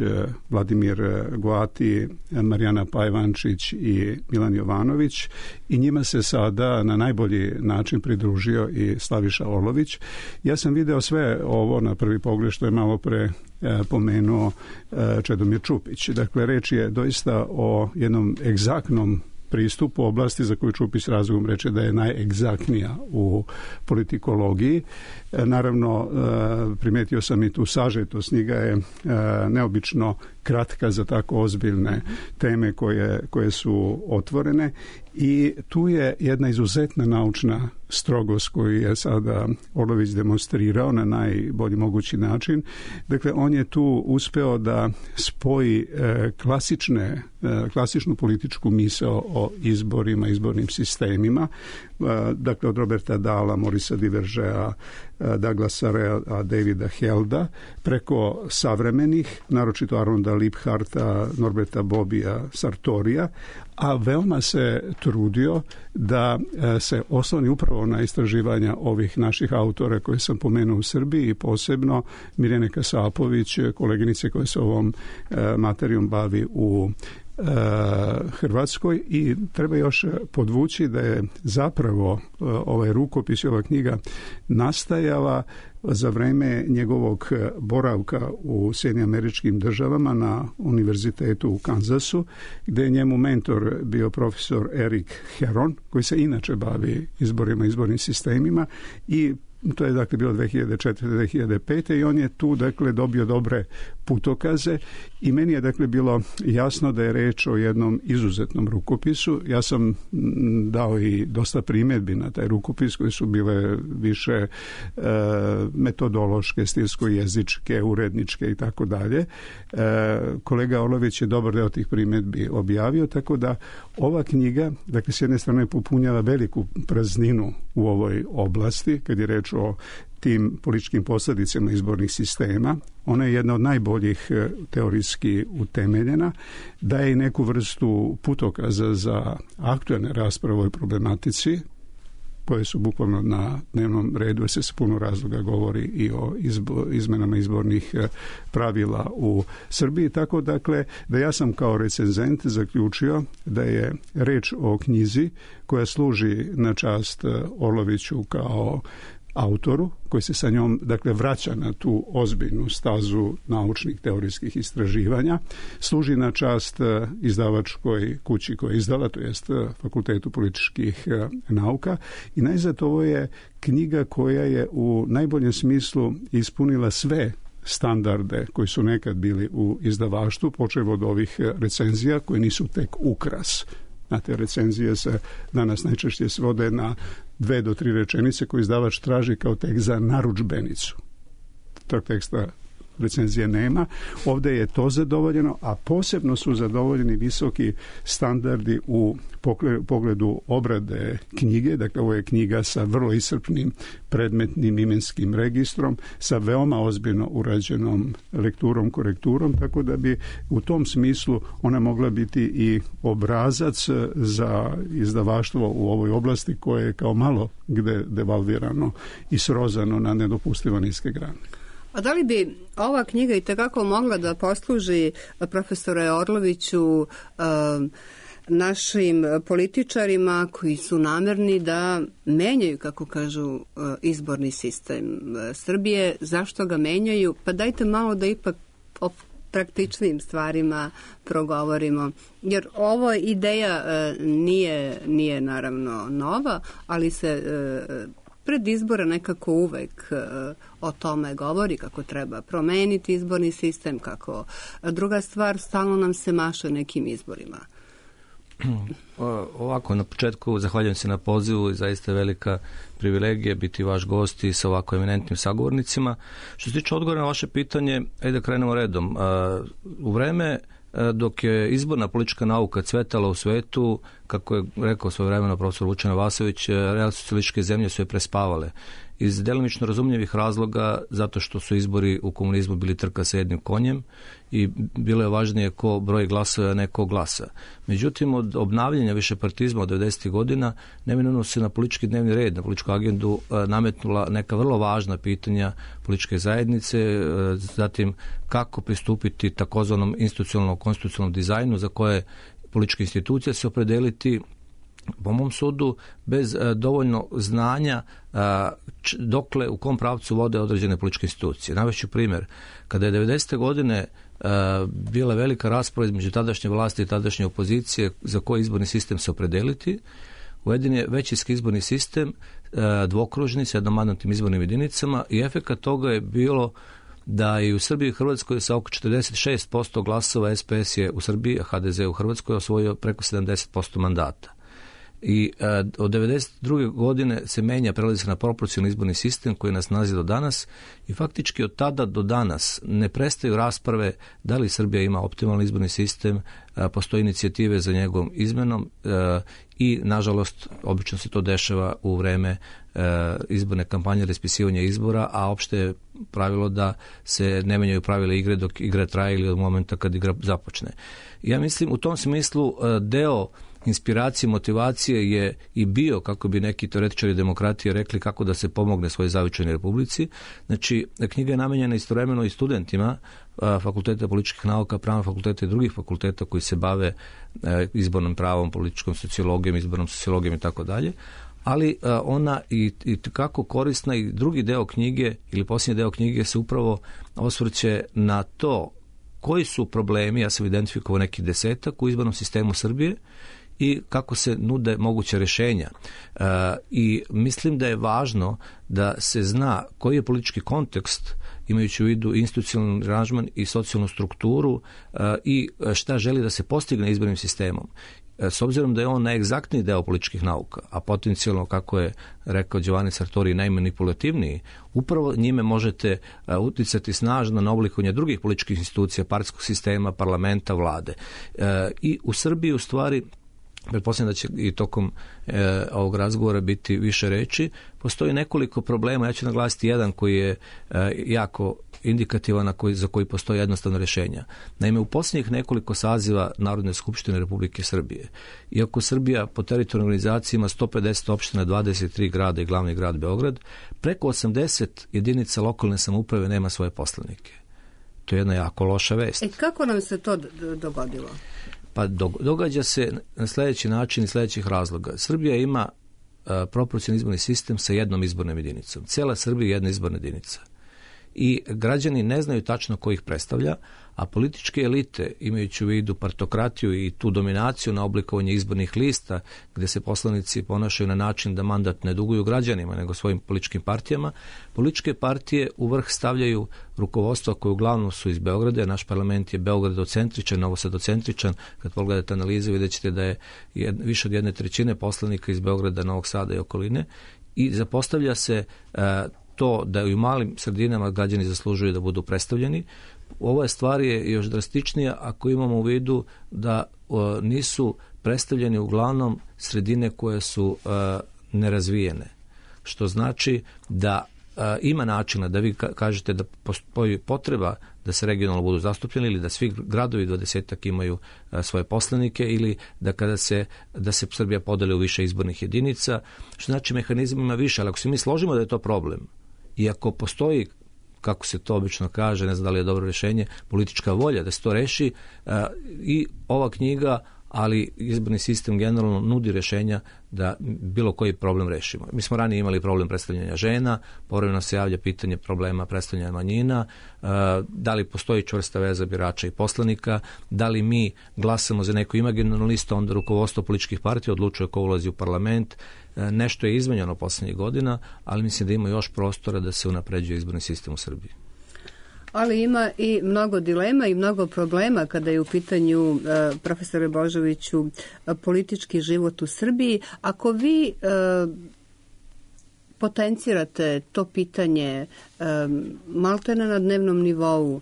Vladimir Goati, Marijana Pajvančić i Milan Jovanović, i njima se sada na najbolji način pridružio i Slaviša Orlović. Ja sam video sve ovo na prvi pogled što je malo pre pomenuo Čedomir Čupić. Dakle, reč je doista o jednom egzaktnom pristupu oblasti za koju Čupić razlogom reče da je najegzaktnija u politikologiji. Naravno, primetio sam i tu sažetost. Knjiga je neobično kratka za tako ozbiljne teme koje su otvorene i tu je jedna izuzetna naučna strogost koju je sada Orlović demonstrirao na najbolji mogući način. Dakle, on je tu uspeo da spoji klasičnu političku misao o izborima, izbornim sistemima, dakle od Roberta Dahla, Morisa Divergea, Douglasa Rea, Davida Helda, preko savremenih, naročito Arnolda Liebharta, Norberta Bobija, Sartorija, a veoma se trudio da se osloni upravo na istraživanja ovih naših autora koje sam pomenuo u Srbiji i posebno Mirjane Kasapović, koleginice koja se ovom materijom bavi u Hrvatskoj. I treba još podvući da je zapravo ovaj rukopis i ova knjiga nastajala za vreme njegovog boravka u Sjedinjenim Američkim Državama na univerzitetu u Kansasu, gde je njemu mentor bio profesor Eric Heron, koji se inače bavi izborima, izbornim sistemima, i to je dakle bilo 2004-2005 i on je tu dakle dobio dobre putokaze i meni je dakle bilo jasno da je reč o jednom izuzetnom rukopisu. Ja sam dao i dosta primjedbi na taj rukopis koje su bile više metodološke, stilsko-jezičke, uredničke i tako dalje. Kolega Orlović je dobar deo tih primjedbi objavio, tako da ova knjiga, dakle s jedne strane popunjava veliku prazninu u ovoj oblasti kad je reč o tim političkim posljedicama izbornih sistema. Ona je jedna od najboljih teorijski utemeljena, daje i neku vrstu putokaza za aktualne rasprave o ovoj problematici, koje su bukvalno na dnevnom redu, jer se s puno razloga govori i o izmenama izbornih pravila u Srbiji. Tako dakle, da ja sam kao recenzent zaključio da je reč o knjizi koja služi na čast Orloviću kao autoru koji se sa njom dakle vraća na tu ozbiljnu stazu naučnih teorijskih istraživanja, služi na čast izdavačkoj kući koja je izdala, to jest Fakultetu političkih nauka, i najzad ovo je knjiga koja je u najboljem smislu ispunila sve standarde koji su nekad bili u izdavaštvu, počev od ovih recenzija koje nisu tek ukras. Znate, recenzije se danas najčešće svode na 2 do 3 rečenice koje izdavač traži kao tekst za narudžbenicu. Tog teksta recenzije nema. Ovdje je to zadovoljeno, a posebno su zadovoljeni visoki standardi u pogledu obrade knjige. Dakle, ovo je knjiga sa vrlo iscrpnim predmetnim imenskim registrom, sa veoma ozbiljno urađenom lekturom, korekturom, tako da bi u tom smislu ona mogla biti i obrazac za izdavaštvo u ovoj oblasti koje je kao malo gde devalvirano i srozano na nedopustivo niske grane. A da li bi ova knjiga i tekako mogla da posluži, profesore Orloviću, našim političarima koji su namerni da menjaju, kako kažu, izborni sistem Srbije? Zašto ga menjaju? Pa dajte malo da ipak o praktičnim stvarima progovorimo. Jer ovo ideja nije naravno nova, ali se pred izbora nekako uvek o tome govori, kako treba promeniti izborni sistem, kako druga stvar, stalno nam se maše nekim izborima. Ovako, na početku zahvaljujem se na pozivu i zaista velika privilegija biti vaš gost i sa ovako eminentnim sagovornicima. Što se tiče odgovora na vaše pitanje, ajde da krenemo redom. U vreme dok je izborna politička nauka cvetala u svetu, kako je rekao svojevremeno profesor Vučan Vasović, real socijalističke zemlje su je prespavale. Iz delimično razumljivih razloga, zato što su izbori u komunizmu bili trka sa jednim konjem i bilo je važnije ko broj glasova, a ne ko glasa. Međutim, od obnavljanja višepartizma od 90. godina neminovno se na politički dnevni red, na političku agendu nametnula neka vrlo važna pitanja političke zajednice, zatim kako pristupiti takozvanom institucionalnom konstitucionalnom dizajnu za koje političke institucije se opredeliti, po mom sudu, bez dovoljno znanja dokle, u kom pravcu vode određene političke institucije. Navešću primjer. Kada je 90. godine bila velika rasprava između tadašnje vlasti i tadašnje opozicije za koji izborni sistem se opredeliti, uveden je većinski izborni sistem, dvokružni, s jednomandatnim izbornim jedinicama, i efekat toga je bilo da je u Srbiji i Hrvatskoj sa oko 46% glasova SPS je u Srbiji, a HDZ u Hrvatskoj osvojio preko 70% mandata. I od 1992. godine se prelazi se na proporcionalni izborni sistem koji nas nalazi do danas i faktički od tada do danas ne prestaju rasprave da li Srbija ima optimalni izborni sistem, postoje inicijative za njegovom izmenom i nažalost obično se to dešava u vreme izborne kampanje, raspisivanja izbora, a opšte je pravilo da se ne menjaju pravila igre dok igra traje ili od momenta kad igra započne. Ja mislim u tom smislu deo inspiracije, motivacije je i bio, kako bi neki teoretičari demokratije rekli, kako da se pomogne svojoj zavičajnoj republici. Znači, knjiga je namenjena istovremeno i studentima Fakulteta političkih nauka, pravnog fakulteta i drugih fakulteta koji se bave izbornim pravom, političkom sociologijom, izbornom sociologijom i tako dalje. Ali ona i kako korisna, i drugi deo knjige ili posljednji deo knjige se upravo osvrće na to koji su problemi, ja sam identifikovao neki 10 u izbornom sistemu Srbije i kako se nude moguće rješenja. I mislim da je važno da se zna koji je politički kontekst, imajući u vidu institucionalni aranžman i socijalnu strukturu i šta želi da se postigne izbornim sistemom. S obzirom da je on najegzaktniji deo političkih nauka, a potencijalno, kako je rekao Giovanni Sartori, najmanipulativniji, upravo njime možete uticati snažno na oblikovanje drugih političkih institucija, partijskog sistema, parlamenta, vlade. I u Srbiji, u stvari, pretpostavljam da će i tokom ovog razgovora biti više reči, postoji nekoliko problema. Ja ću naglasiti jedan koji je jako indikativan, za koji postoji jednostavno rješenja. Naime, u posljednjih nekoliko saziva Narodne skupštine Republike Srbije, iako Srbija po teritorijalnoj organizaciji ima 150 opština, 23 grada i glavni grad Beograd, preko 80 jedinica lokalne samouprave nema svoje poslanike. To je jedna jako loša vest. Kako nam se to dogodilo? Pa događa se na sljedeći način i sljedećih razloga. Srbija ima proporcionalni izborni sistem sa jednom izbornom jedinicom. Cijela Srbija je jedna izborna jedinica. I građani ne znaju tačno ko ih predstavlja, a političke elite, imajući u vidu partokratiju i tu dominaciju na oblikovanje izbornih lista, gdje se poslanici ponašaju na način da mandat ne duguju građanima, nego svojim političkim partijama, političke partije u vrh stavljaju rukovodstva koje uglavnom su iz Beograda. Naš parlament je Beogradocentričan, Novosadocentričan. Kad pogledate analize, vidjet ćete da je više od 1/3 poslanika iz Beograda, Novog Sada i okoline, i zapostavlja se to da i u malim sredinama građani zaslužuju da budu predstavljeni. Ova stvar je još drastičnija ako imamo u vidu da nisu predstavljeni uglavnom sredine koje su nerazvijene. Što znači da ima načina da vi kažete da postoji potreba da se regionalno budu zastupljeni ili da svi gradovi 20 imaju svoje poslanike ili da se Srbija podeli u više izbornih jedinica, što znači mehanizam ima više, ali ako se mi složimo da je to problem i ako postoji, kako se to obično kaže, ne znam da li je dobro rješenje, politička volja da se to reši, i ova knjiga, ali izborni sistem generalno nudi rješenja da bilo koji problem rešimo. Mi smo ranije imali problem predstavljanja žena, povremeno se javlja pitanje problema predstavljanja manjina, da li postoji čvrsta veza birača i poslanika, da li mi glasamo za neku imaginarnu listu, onda rukovodstvo političkih partija odlučuje ko ulazi u parlament. Nešto je izmenjeno posljednjih godina, ali mislim da ima još prostora da se unapređuje izborni sistem u Srbiji. Ali ima i mnogo dilema i mnogo problema kada je u pitanju, profesore Božoviću, politički život u Srbiji. Ako vi potencirate to pitanje maltene na dnevnom nivou,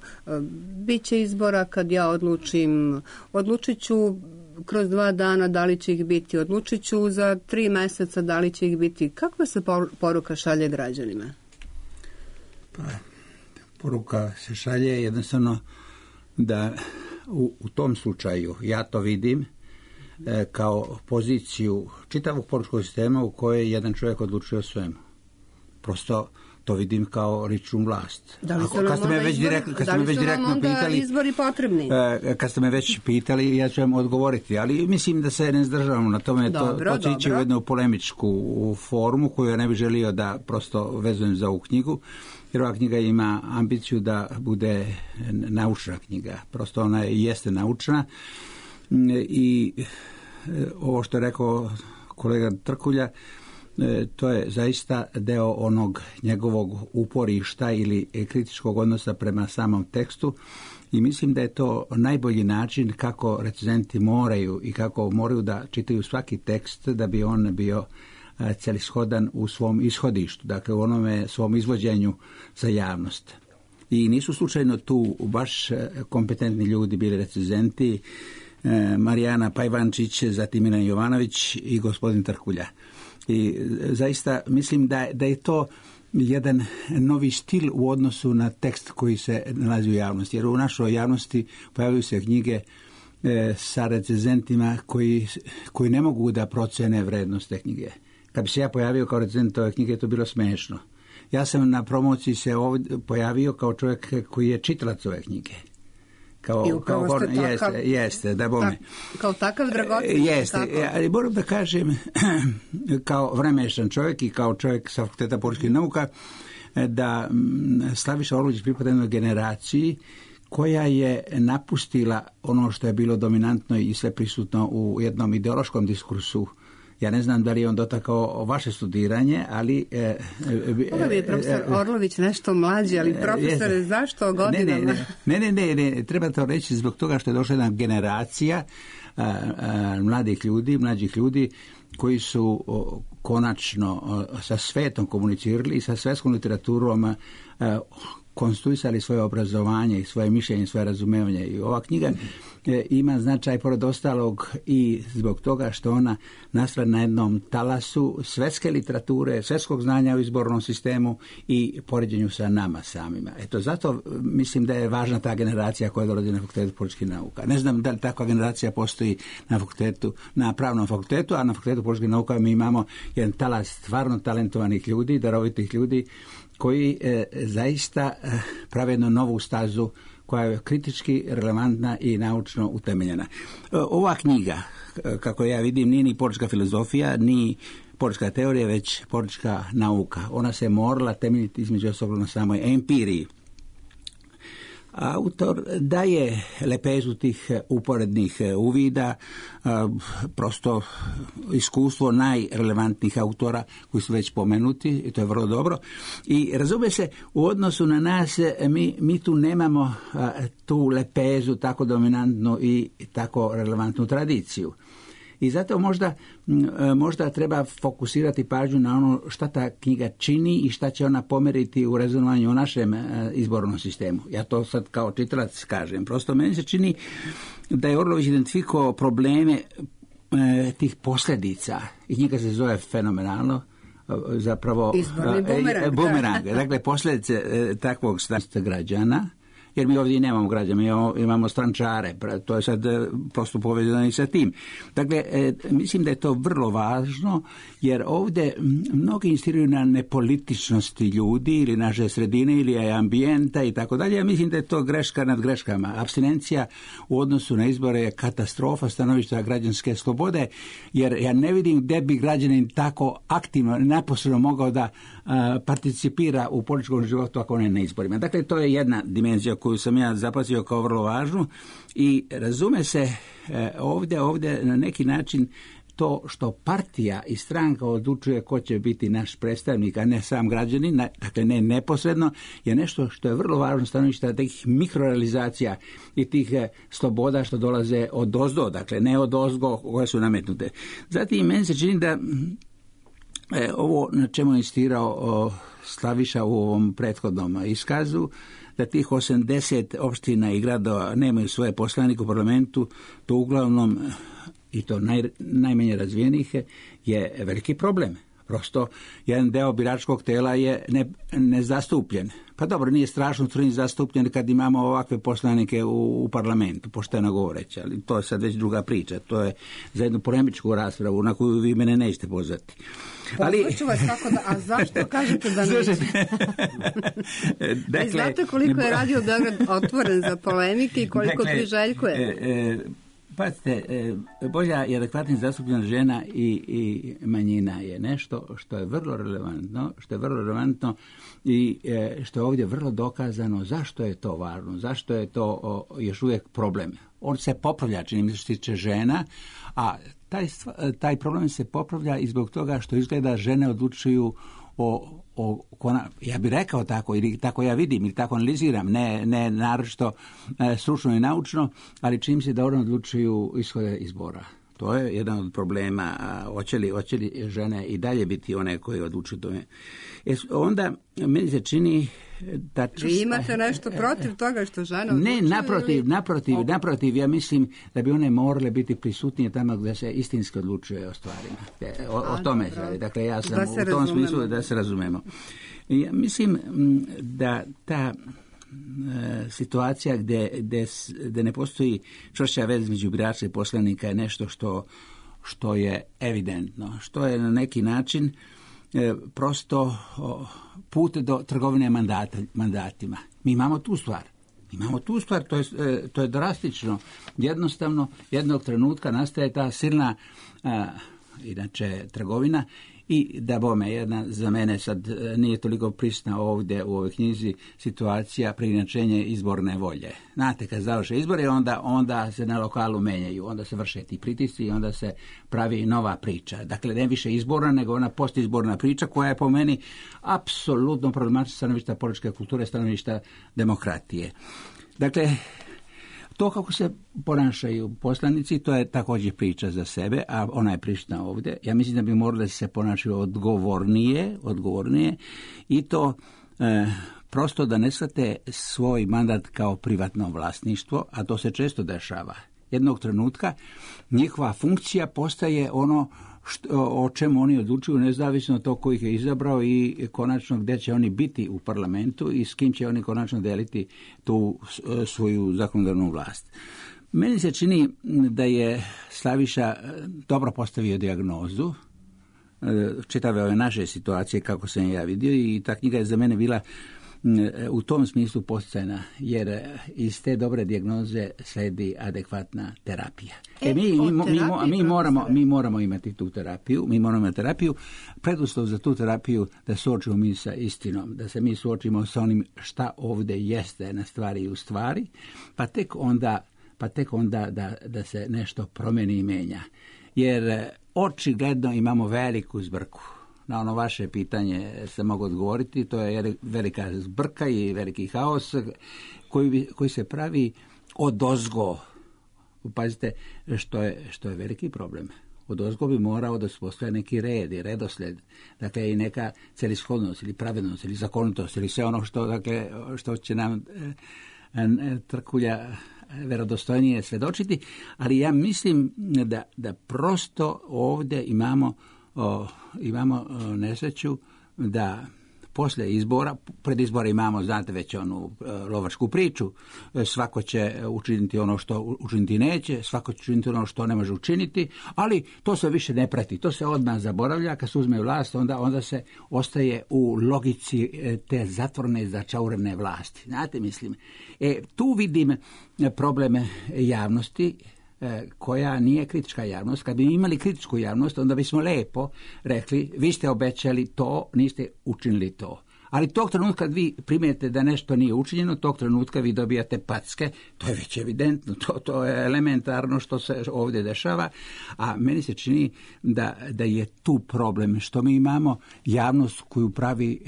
bit će izbora kad ja odlučit ću kroz 2 dana da li će ih biti, odlučit ću za 3 meseca da li će ih biti. Kakva se poruka šalje građanima? Pa, poruka se šalje jednostavno da u tom slučaju ja to vidim kao poziciju čitavog političkog sistema u kojoj jedan čovjek odlučuje o svemu. Prosto to vidim kao ličnu vlast. Da li su nam onda izbori potrebni? Kad ste me već pitali, ja ću vam odgovoriti, ali mislim da se ne zdržavamo na tome. To će ići u jednu polemičku formu koju ja ne bih želio da prosto vezujem za ovu knjigu, jer ova knjiga ima ambiciju da bude naučna knjiga. Prosto ona jeste naučna i ovo što je rekao kolega Trkulja, to je zaista deo onog njegovog uporišta ili kritičkog odnosa prema samom tekstu i mislim da je to najbolji način kako recenzenti moraju i kako moraju da čitaju svaki tekst da bi on bio celishodan u svom ishodištu, dakle u onome svom izvođenju za javnost. I nisu slučajno tu baš kompetentni ljudi bili recenzenti, Marijana Pajvančić, zatim Milan Jovanović i gospodin Trkulja. I zaista mislim da je to jedan novi stil u odnosu na tekst koji se nalazi u javnosti. Jer u našoj javnosti pojavljaju se knjige sa recenzentima koji ne mogu da procene vrednost te knjige. Kad bi se ja pojavio kao recenzent ove knjige, to bilo smešno. Ja sam na promociji se ovdje pojavio kao čovjek koji je čitalac ove knjige. Jeste, da bome. Kao takav dragocen. Jeste, ali moram da kažem, kao vremešan čovjek i kao čovjek sa Fakulteta političkih nauka, da Slaviša Orlović pripada jednoj generaciji koja je napustila ono što je bilo dominantno i sve prisutno u jednom ideološkom diskursu. Ja ne znam da li je on dotakao vaše studiranje, ali... Ovo je profesor Orlović nešto mlađi, ali profesore, zašto godinama? Ne, treba to reći zbog toga što je došla jedna generacija mlađih ljudi koji su konačno sa svetom komunicirali i sa svetskom literaturom konstruisali svoje obrazovanje i svoje mišljenje, svoje razumevanje. I ova knjiga ima značaj pored ostalog i zbog toga što ona nastala na jednom talasu svetske literature, svetskog znanja u izbornom sistemu i poređenju sa nama samima. Eto, zato mislim da je važna ta generacija koja dolazi na Fakultetu političkih nauka. Ne znam da li takva generacija postoji na pravnom fakultetu, a na Fakultetu političkih nauka mi imamo jedan talas stvarno talentovanih ljudi, darovitih ljudi, koji zaista prave jednu novu stazu koja je kritički relevantna i naučno utemeljena. Ova knjiga, kako ja vidim, nije ni politička filozofija, ni politička teorija, već politička nauka. Ona se morala temeljiti između ostalog na samoj empiriji. Autor daje lepezu tih uporednih uvida, prosto iskustvo najrelevantnijih autora koji su već pomenuti, i to je vrlo dobro. I razume se, u odnosu na nas, mi tu nemamo tu lepezu tako dominantnu i tako relevantnu tradiciju. I zato možda treba fokusirati pažnju na ono šta ta knjiga čini i šta će ona pomeriti u rezonovanju u našem izbornom sistemu. Ja to sad kao čitalac kažem. Prosto meni se čini da je Orlović identifikovao probleme tih posljedica i knjiga se zove fenomenalno, zapravo izborni bumerang. Dakle, posljedice takvog stanja građana, jer mi ovdje nemamo građana, mi imamo strančare, to je sad prosto povezano i sa tim. Dakle, mislim da je to vrlo važno, jer ovdje mnogi insistiraju na nepolitičnosti ljudi ili naše sredine ili ambijenta i tako dalje. Ja mislim da je to greška nad greškama. Apstinencija u odnosu na izbore je katastrofa stanovišta građanske slobode, jer ja ne vidim gdje bi građanin tako aktivno, neposredno mogao da participira u političkom životu ako ne na izborima. Dakle, to je jedna dimenzija koju sam ja zapazio kao vrlo važnu i razume se ovdje na neki način to što partija i stranka odlučuje ko će biti naš predstavnik, a ne sam građanin, dakle ne neposredno, je nešto što je vrlo važno stanovišta tih mikrorealizacija i tih sloboda što dolaze od ozdo, dakle ne od ozgo koje su nametnute. Zatim, meni se čini da ovo na čemu je insistirao Slaviša u ovom prethodnom iskazu, da tih 80 opština i gradova nemaju svoje poslanike u parlamentu, to uglavnom, i to najmanje razvijenih, je veliki problem. Prosto jedan deo biračkog tela je nezastupljen. Pa dobro, nije strašno crni zastupljen kad imamo ovakve poslanike u parlamentu, pošteno govoreći, ali to je sad već druga priča. To je za jednu polemičku raspravu na koju vi mene nećete pozvati. Pozvaću vas kako da, a zašto kažete da nećete? Dakle, znate koliko je Radio Beograd otvoren za polemike i koliko priželjkuje? Pazite, bolja i adekvatna zastupljenost žena i manjina je nešto što je vrlo relevantno, i što je ovdje vrlo dokazano zašto je to važno, zašto je to još uvijek problem. On se popravlja, čini mi se, što se tiče žena, a taj problem se popravlja i zbog toga što izgleda žene odlučuju ja bih rekao tako, ili tako ja vidim, ili tako analiziram, ne naročito stručno i naučno, ali čini se da one odlučuju ishode izbora. To je jedan od problema. Hoće li žene i dalje biti one koje odlučuju tome? Onda meni se čini da... Vi imate nešto protiv toga što žene odlučuju? Ne, naprotiv. Ja mislim da bi one morale biti prisutnije tamo gdje se istinski odlučuje o stvarima. O tome se radi. Dakle, ja sam u tom smislu da se razumemo. Ja mislim da ta situacija gdje ne postoji čvršća veza između birača i poslanika je nešto što je evidentno, što je na neki način prosto put do trgovine mandatima. Mi imamo tu stvar, to je drastično. Jednostavno, jednog trenutka nastaje ta silna inače trgovina. I da bome, jedna za mene sad nije toliko prisutna ovdje u ovoj knjizi situacija preinačenje izborne volje. Znate, kad završe izbori, onda se na lokalu menjaju, onda se vrše ti pritisci i onda se pravi nova priča. Dakle, ne više izborna, nego ona postizborna priča koja je po meni apsolutno problematična stanovišta političke kulture, stanovišta demokratije. Dakle, to kako se ponašaju poslanici, to je također priča za sebe, a ona je prisutna ovdje. Ja mislim da bi morali se ponašati odgovornije i to prosto da ne shvate svoj mandat kao privatno vlasništvo, a to se često dešava. Jednog trenutka njihova funkcija postaje ono o čemu oni odlučuju, nezavisno od tog koji ih je izabrao i konačno gdje će oni biti u parlamentu i s kim će oni konačno deliti tu svoju zakonodavnu vlast. Meni se čini da je Slaviša dobro postavio dijagnozu čitave ove naše situacije kako sam ja vidio, i ta knjiga je za mene bila u tom smislu posticajna, jer iz te dobre dijagnoze sledi adekvatna terapija. Mi moramo imati tu terapiju. Preduslov za tu terapiju da suočimo mi sa istinom, da se mi suočimo sa onim šta ovdje jeste na stvari i u stvari, pa tek onda da se nešto promeni i menja. Jer očigledno imamo veliku zbrku. Na ono vaše pitanje se mogu odgovoriti, to je velika zbrka i veliki haos koji se pravi odozgo. Pazite, što je veliki problem. Odozgo bi morao da se postoje neki red i redosljed, dakle i neka celishodnost ili pravednost ili zakonitost ili sve ono što će nam trkulja verodostojnije svedočiti, ali ja mislim da prosto ovdje imamo nesreću da poslije izbora, pred izbora imamo, znate, već onu lovačku priču, svako će učiniti ono što učiniti neće, svako će učiniti ono što ne može učiniti, ali to se više ne prati, to se odmah zaboravlja, kad se uzme vlast, onda se ostaje u logici te zatvorene, začaurene vlasti. Znate, mislim, tu vidim probleme javnosti, koja nije kritička javnost. Kad bi imali kritičku javnost, onda bismo lijepo rekli, vi ste obećali to, niste učinili to. Ali tog trenutka kad vi primijete da nešto nije učinjeno, tog trenutka vi dobijate packe, to je već evidentno, to je elementarno što se ovdje dešava, a meni se čini da je tu problem, što mi imamo javnost koju pravi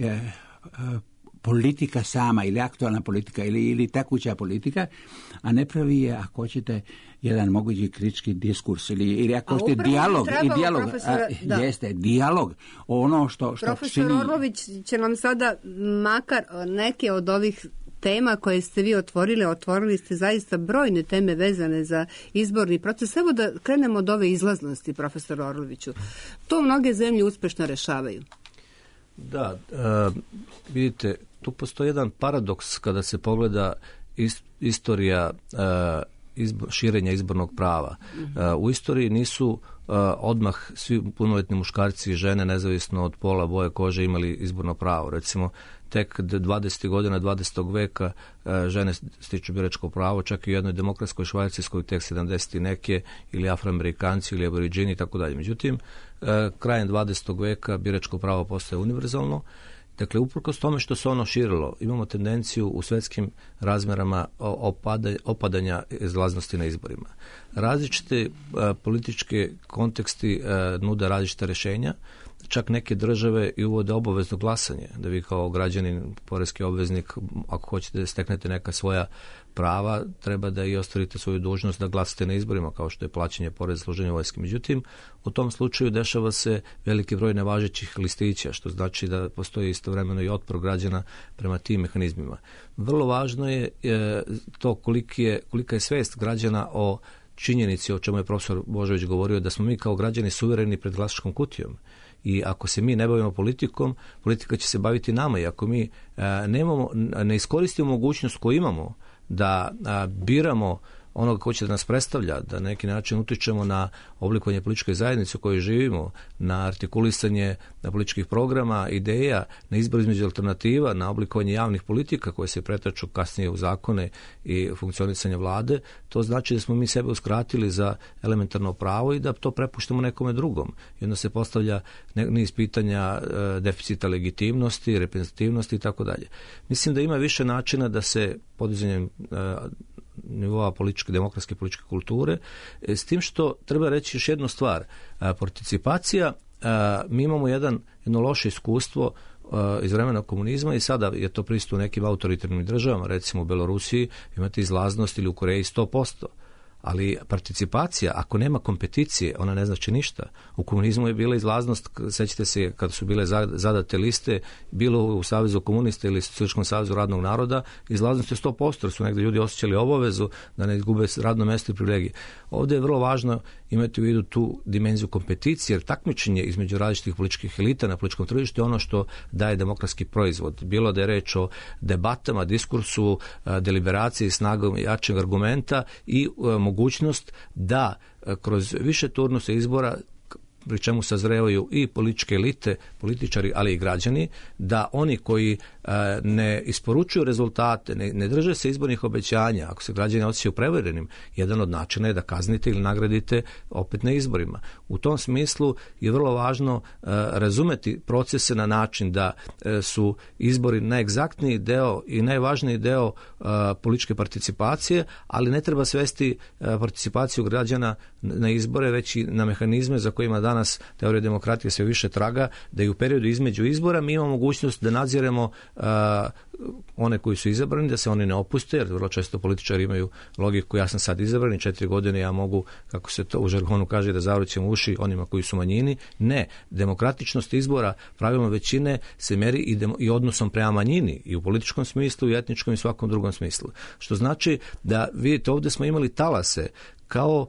politika sama ili aktualna politika ili tekuća politika, a ne pravi je, ako hoćete, jedan mogući kritički diskurs ili ako hoćete dijalog. Jeste, dijalog. Ono što profesor čini... Orlović će nam sada makar neke od ovih tema koje ste vi otvorili ste zaista brojne teme vezane za izborni proces. Evo da krenemo od ove izlaznosti, profesor Orloviću. To mnoge zemlje uspešno rešavaju. Da, vidite, tu postoji jedan paradoks kada se pogleda istorija širenja izbornog prava. U istoriji nisu odmah svi punoljetni muškarci i žene, nezavisno od pola, boje kože, imali izborno pravo. Recimo, tek 20. godina 20. veka žene stiču biračko pravo, čak i u jednoj demokratskoj Švajcarskoj tek 70. neke, ili Afroamerikanci ili Aboriđini i tako dalje. Međutim, krajem 20. veka biračko pravo postaje univerzalno. Dakle, uprkos tome što se ono širilo, imamo tendenciju u svjetskim razmjerama opadanja izlaznosti na izborima. Različite političke konteksti nude različite rješenja. Čak neke države i uvode obavezno glasanje, da vi kao građanin, poreski obveznik, ako hoćete da steknete neka svoja prava, treba da i ostvarite svoju dužnost da glasate na izborima, kao što je plaćanje poreza, služenje vojske. Međutim, u tom slučaju dešava se veliki broj nevažećih listića, što znači da postoji istovremeno i otpor građana prema tim mehanizmima. Vrlo važno je to kolika je svijest građana o činjenici, o čemu je profesor Božović govorio, da smo mi kao građani suvereni pred glasačkom kutijom. I ako se mi ne bavimo politikom, politika će se baviti nama. I ako mi ne iskoristimo mogućnost koju imamo da biramo onoga ko će da nas predstavlja, da na neki način utičemo na oblikovanje političke zajednice u kojoj živimo, na artikulisanje na političkih programa, ideja, na izbor između alternativa, na oblikovanje javnih politika koje se pretaču kasnije u zakone i funkcionisanje vlade, to znači da smo mi sebe uskratili za elementarno pravo i da to prepuštamo nekome drugom. I onda se postavlja niz pitanja deficita legitimnosti, reprezentativnosti i tako dalje. Mislim da ima više načina da se podizanjem nivoa demokratske političke kulture, s tim što treba reći još jednu stvar. Participacija, mi imamo jedno loše iskustvo iz vremena komunizma i sada je to prisutno u nekim autoritarnim državama, recimo u Belorusiji imate izlaznost ili u Koreji 100%. Ali participacija, ako nema kompeticije, ona ne znači ništa. U komunizmu je bila izlaznost, sećate se kada su bile zadate liste, bilo u Savezu komunista ili Socijalističkom savezu radnog naroda, izlaznost je 100%, jer su negdje ljudi osjećali obavezu da ne izgube radno mjesto i privilegije. Ovdje je vrlo važno imati u vidu tu dimenziju kompeticije, jer takmičenje između različitih političkih elita na političkom tržištu je ono što daje demokratski proizvod. Bilo da je reč o debatama, diskursu, deliberaciji, snagom jačeg argumenta i mogućnost da kroz više turnusa izbora pri čemu sazrevaju i političke elite, političari, ali i građani, da oni koji ne isporučuju rezultate, ne drže se izbornih obećanja, ako se građani osjećaju prevarenim, jedan od načina je da kaznite ili nagradite opet na izborima. U tom smislu je vrlo važno razumeti procese na način da su izbori najegzaktniji deo i najvažniji deo političke participacije, ali ne treba svesti participaciju građana na izbore, već i na mehanizme za kojima danas teorija demokratije sve više traga, da i u periodu između izbora mi imamo mogućnost da nadziremo one koji su izabrani, da se oni ne opuste, jer vrlo često političari imaju logiku, ja sam sad izabran i 4 godine ja mogu, kako se to u žargonu kaže, da zavrućem uši onima koji su manjini. Ne, demokratičnost izbora, pravilno većine se meri i odnosom prema manjini, i u političkom smislu, i etničkom i svakom drugom smislu. Što znači da, vidite, ovdje smo imali talase, kao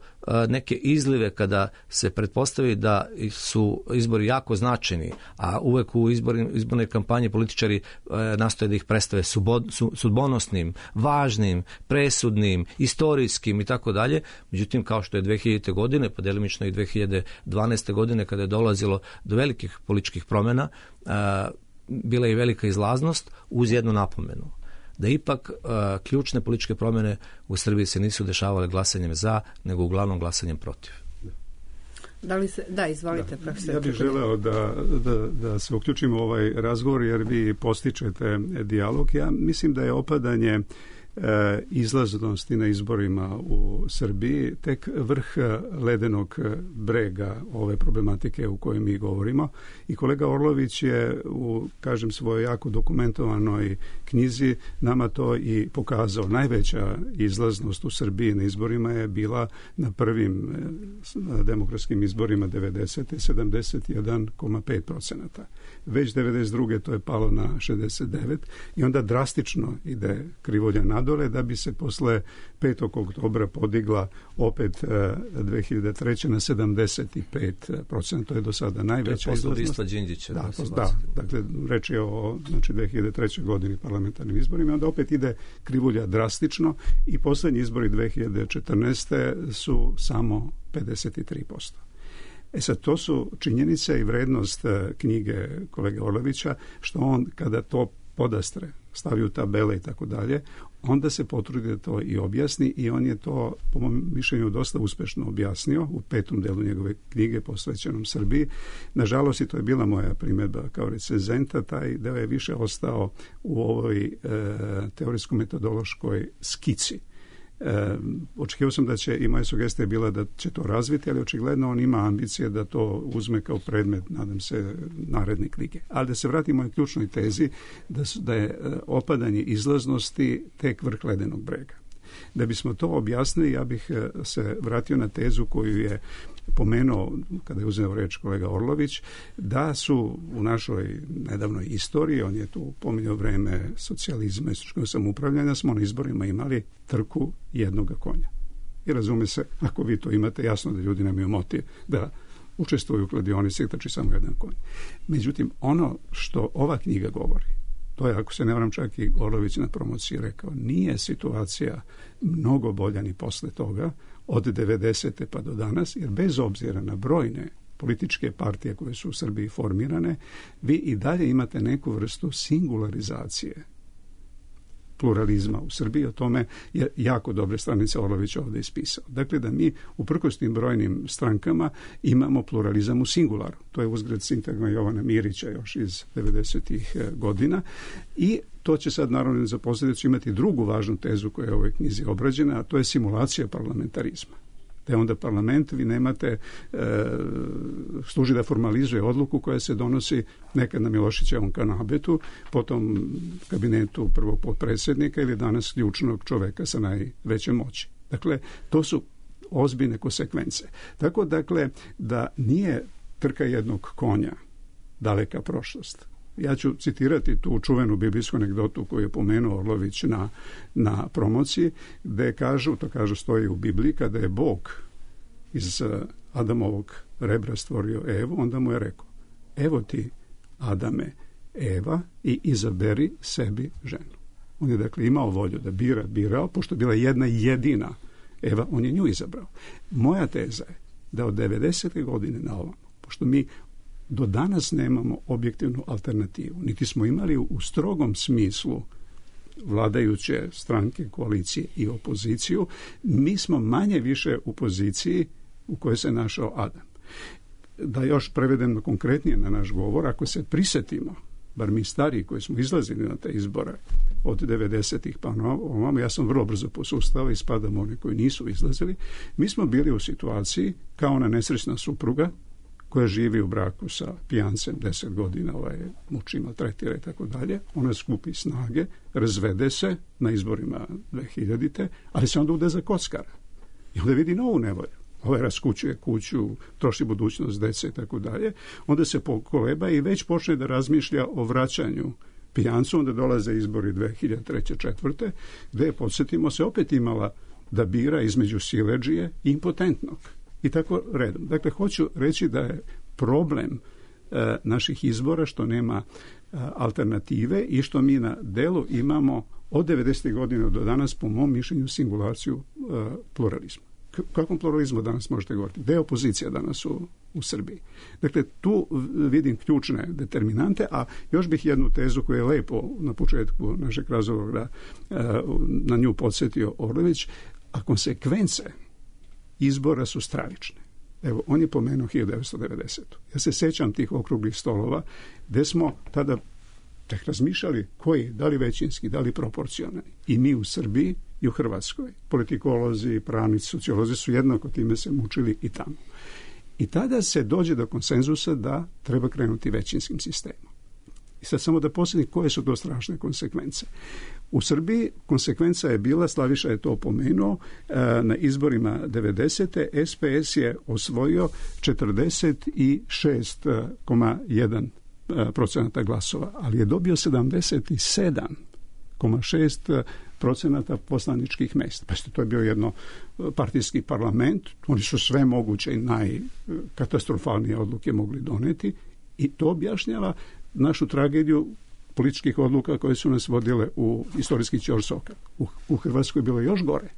neke izlive kada se pretpostavi da su izbori jako značajni, a uvek u izbornoj kampanji političari nastoje da ih predstave sudbonosnim, važnim, presudnim, istorijskim i tako dalje. Međutim, kao što je 2000. godine, pa delimično i 2012. godine, kada je dolazilo do velikih političkih promjena, bila je i velika izlaznost uz jednu napomenu. Da ipak ključne političke promjene u Srbiji se nisu dešavale glasanjem za, nego uglavnom glasanjem protiv. Da, izvolite, profesor. Ja bih želeo da se uključimo u ovaj razgovor, jer vi postičete dijalog. Ja mislim da je opadanje izlaznosti na izborima u Srbiji tek vrh ledenog brega ove problematike u kojoj mi govorimo, i kolega Orlović je u, kažem, svojoj jako dokumentovanoj knjizi nama to i pokazao. Najveća izlaznost u Srbiji na izborima je bila na prvim demokratskim izborima 90. 71,5%. Već 92. to je palo na 69 i onda drastično ide krivulja nadole, da bi se posle 5. oktobra podigla opet 2003. na 75%. To je do sada najveća izlaznost. Da, dakle, reč je o 2003. godini parlamentarnim izborima, onda opet ide krivulja drastično i posljednji izbori 2014. su samo 53%. Sad, to su činjenice i vrednost knjige kolege Orlovića, što on kada to podastre, stavi u tabele i tako dalje, onda se potrudi da to i objasni, i on je to, po mom mišljenju, dosta uspešno objasnio u 5. delu njegove knjige posvećenom Srbiji. Nažalost, i to je bila moja primjedba kao recenzenta, taj deo je više ostao u ovoj teorijsko-metodološkoj skici. Očekivao sam da će, i moja sugestija je bila da će to razviti, ali očigledno on ima ambicije da to uzme kao predmet, nadam se, naredne knjige. Ali da se vratimo i ključnoj tezi da je opadanje izlaznosti tek vrh ledenog brega. Da bismo to objasnili, ja bih se vratio na tezu koju je pomenuo kada je uzeo reč kolega Orlović, da su u našoj nedavnoj istoriji, on je tu pominjao vreme socijalizma i istočnog samoupravljanja, smo na izborima imali trku jednoga konja. I razume se, ako vi to imate, jasno da ljudi nemaju motiv da učestvuju u kladionici i trči samo jedan konj. Međutim, ono što ova knjiga govori, to je, ako se ne varam, čak i Orlović na promociji rekao, nije situacija mnogo bolja ni posle toga, od 90. pa do danas, jer bez obzira na brojne političke partije koje su u Srbiji formirane, vi i dalje imate neku vrstu singularizacije pluralizma u Srbiji. O tome je jako dobre stranice Orlovića ovdje ispisao. Dakle, da mi uprkos tim brojnim strankama imamo pluralizam u singularu. To je uzgred sintagma Jovana Mirića još iz 90. godina, i to će sad naravno za posljedicu imati drugu važnu tezu koja je u ovoj knjizi obrađena, a to je simulacija parlamentarizma. Da je onda parlament, vi nemate, služi da formalizuje odluku koja se donosi nekad na Milošićevom kanabetu, potom kabinetu prvog potpredsjednika ili danas ključnog čoveka sa najvećom moći. Dakle, to su ozbiljne konsekvence. Tako, dakle, da nije trka jednog konja daleka prošlost. Ja ću citirati tu čuvenu biblijsku anegdotu koju je pomenuo Orlović na promociji, gde kažu, to kažu stoji u Bibliji, kada je Bog iz Adamovog rebra stvorio Evu, onda mu je rekao: evo ti, Adame, Eva, i izaberi sebi ženu. On je dakle imao volju da birao, pošto je bila jedna jedina Eva, on je nju izabrao. Moja teza je da od 90. godine na ovom pošto mi do danas nemamo objektivnu alternativu, niti smo imali u strogom smislu vladajuće stranke, koalicije i opoziciju, mi smo manje više u poziciji u kojoj se našao Adam. Da još prevedem konkretnije na naš govor, ako se prisjetimo, bar mi stariji koji smo izlazili na te izbore od 90-ih pa ovamo, ja sam vrlo brzo posustao i spadam oni koji nisu izlazili, mi smo bili u situaciji kao ona nesrećna supruga koja živi u braku sa pijancem 10 godina, muči, maltretira i tako dalje, ona skupi snage, razvede se na izborima 2000-te, ali se onda ude za kockara i onda vidi novu nevolju. Raskućuje kuću, troši budućnost dece i tako dalje, onda se pokoleba i već počne da razmišlja o vraćanju pijancu, onda dolaze izbori 2003-2004, gde je, podsjetimo se, opet imala da bira između siledžije i impotentnog. I tako redom. Dakle, hoću reći da je problem naših izbora što nema alternative i što mi na delu imamo od 90. godina do danas, po mom mišljenju, singulaciju pluralizma. Kakvom pluralizmu danas možete govoriti? Gde je opozicija danas u Srbiji? Dakle, tu vidim ključne determinante, a još bih jednu tezu koju je lepo na početku našeg razgovora na nju podsjetio Orlović, a konsekvence izbora su stravične. Evo, on je pomenuo 1990. Ja se sećam tih okruglih stolova gde smo tada tek razmišljali koji, da li većinski, da li proporcionalni. I mi u Srbiji i u Hrvatskoj. Politikolozi, pravnici, sociolozi su jednako time se mučili i tamo. I tada se dođe do konsenzusa da treba krenuti većinskim sistemom. I sad samo da posjetim koje su to strašne konsekvence. U Srbiji konsekvenca je bila, Slaviša je to pomenuo, na izborima 90. SPS je osvojio 46,1% glasova, ali je dobio 77,6% poslaničkih mesta. Pa to je bio jedno partijski parlament, oni su sve moguće i najkatastrofalnije odluke mogli doneti i to objašnjava našu tragediju političkih odluka koje su nas vodile u istorijski ćorsokak. U Hrvatskoj je bilo još gore.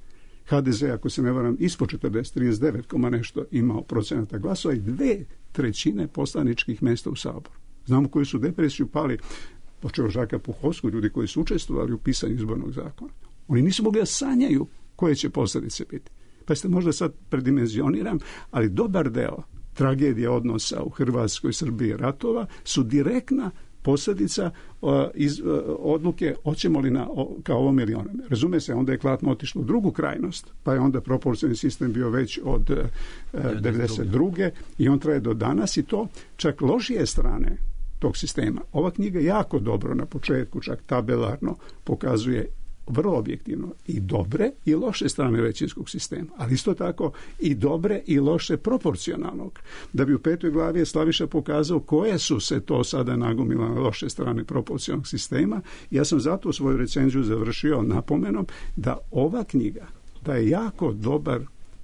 HDZ, ako se ne varam, ispod 39, nešto imao procenata glasova i 2/3 poslaničkih mesta u Saboru. Znamo koji su depresiju pali, počeo Žaka Puhovskog, ljudi koji su učestvovali u pisanju izbornog zakona. Oni nisu mogli da sanjaju koje će posljedice biti. Pa ste možda sad predimenzioniram, ali dobar deo tragedije odnosa u Hrvatskoj, Srbiji, ratova su direktna posljedica odluke hoćemo li kao ovom ili onom. Razume se, onda je klatno otišlo u drugu krajnost, pa je onda proporcionalni sistem bio već od 92. i on traje do danas i to čak lošije strane tog sistema. Ova knjiga jako dobro na početku, čak tabelarno pokazuje vrlo objektivno i dobre i loše strane većinskog sistema, ali isto tako i dobre i loše proporcionalnog. Da bi u 5. glavi je Slaviša pokazao koje su se to sada nagomile na loše strane proporcionalnog sistema. Ja sam zato svoju recenziju završio napomenom da ova knjiga daje jako dobar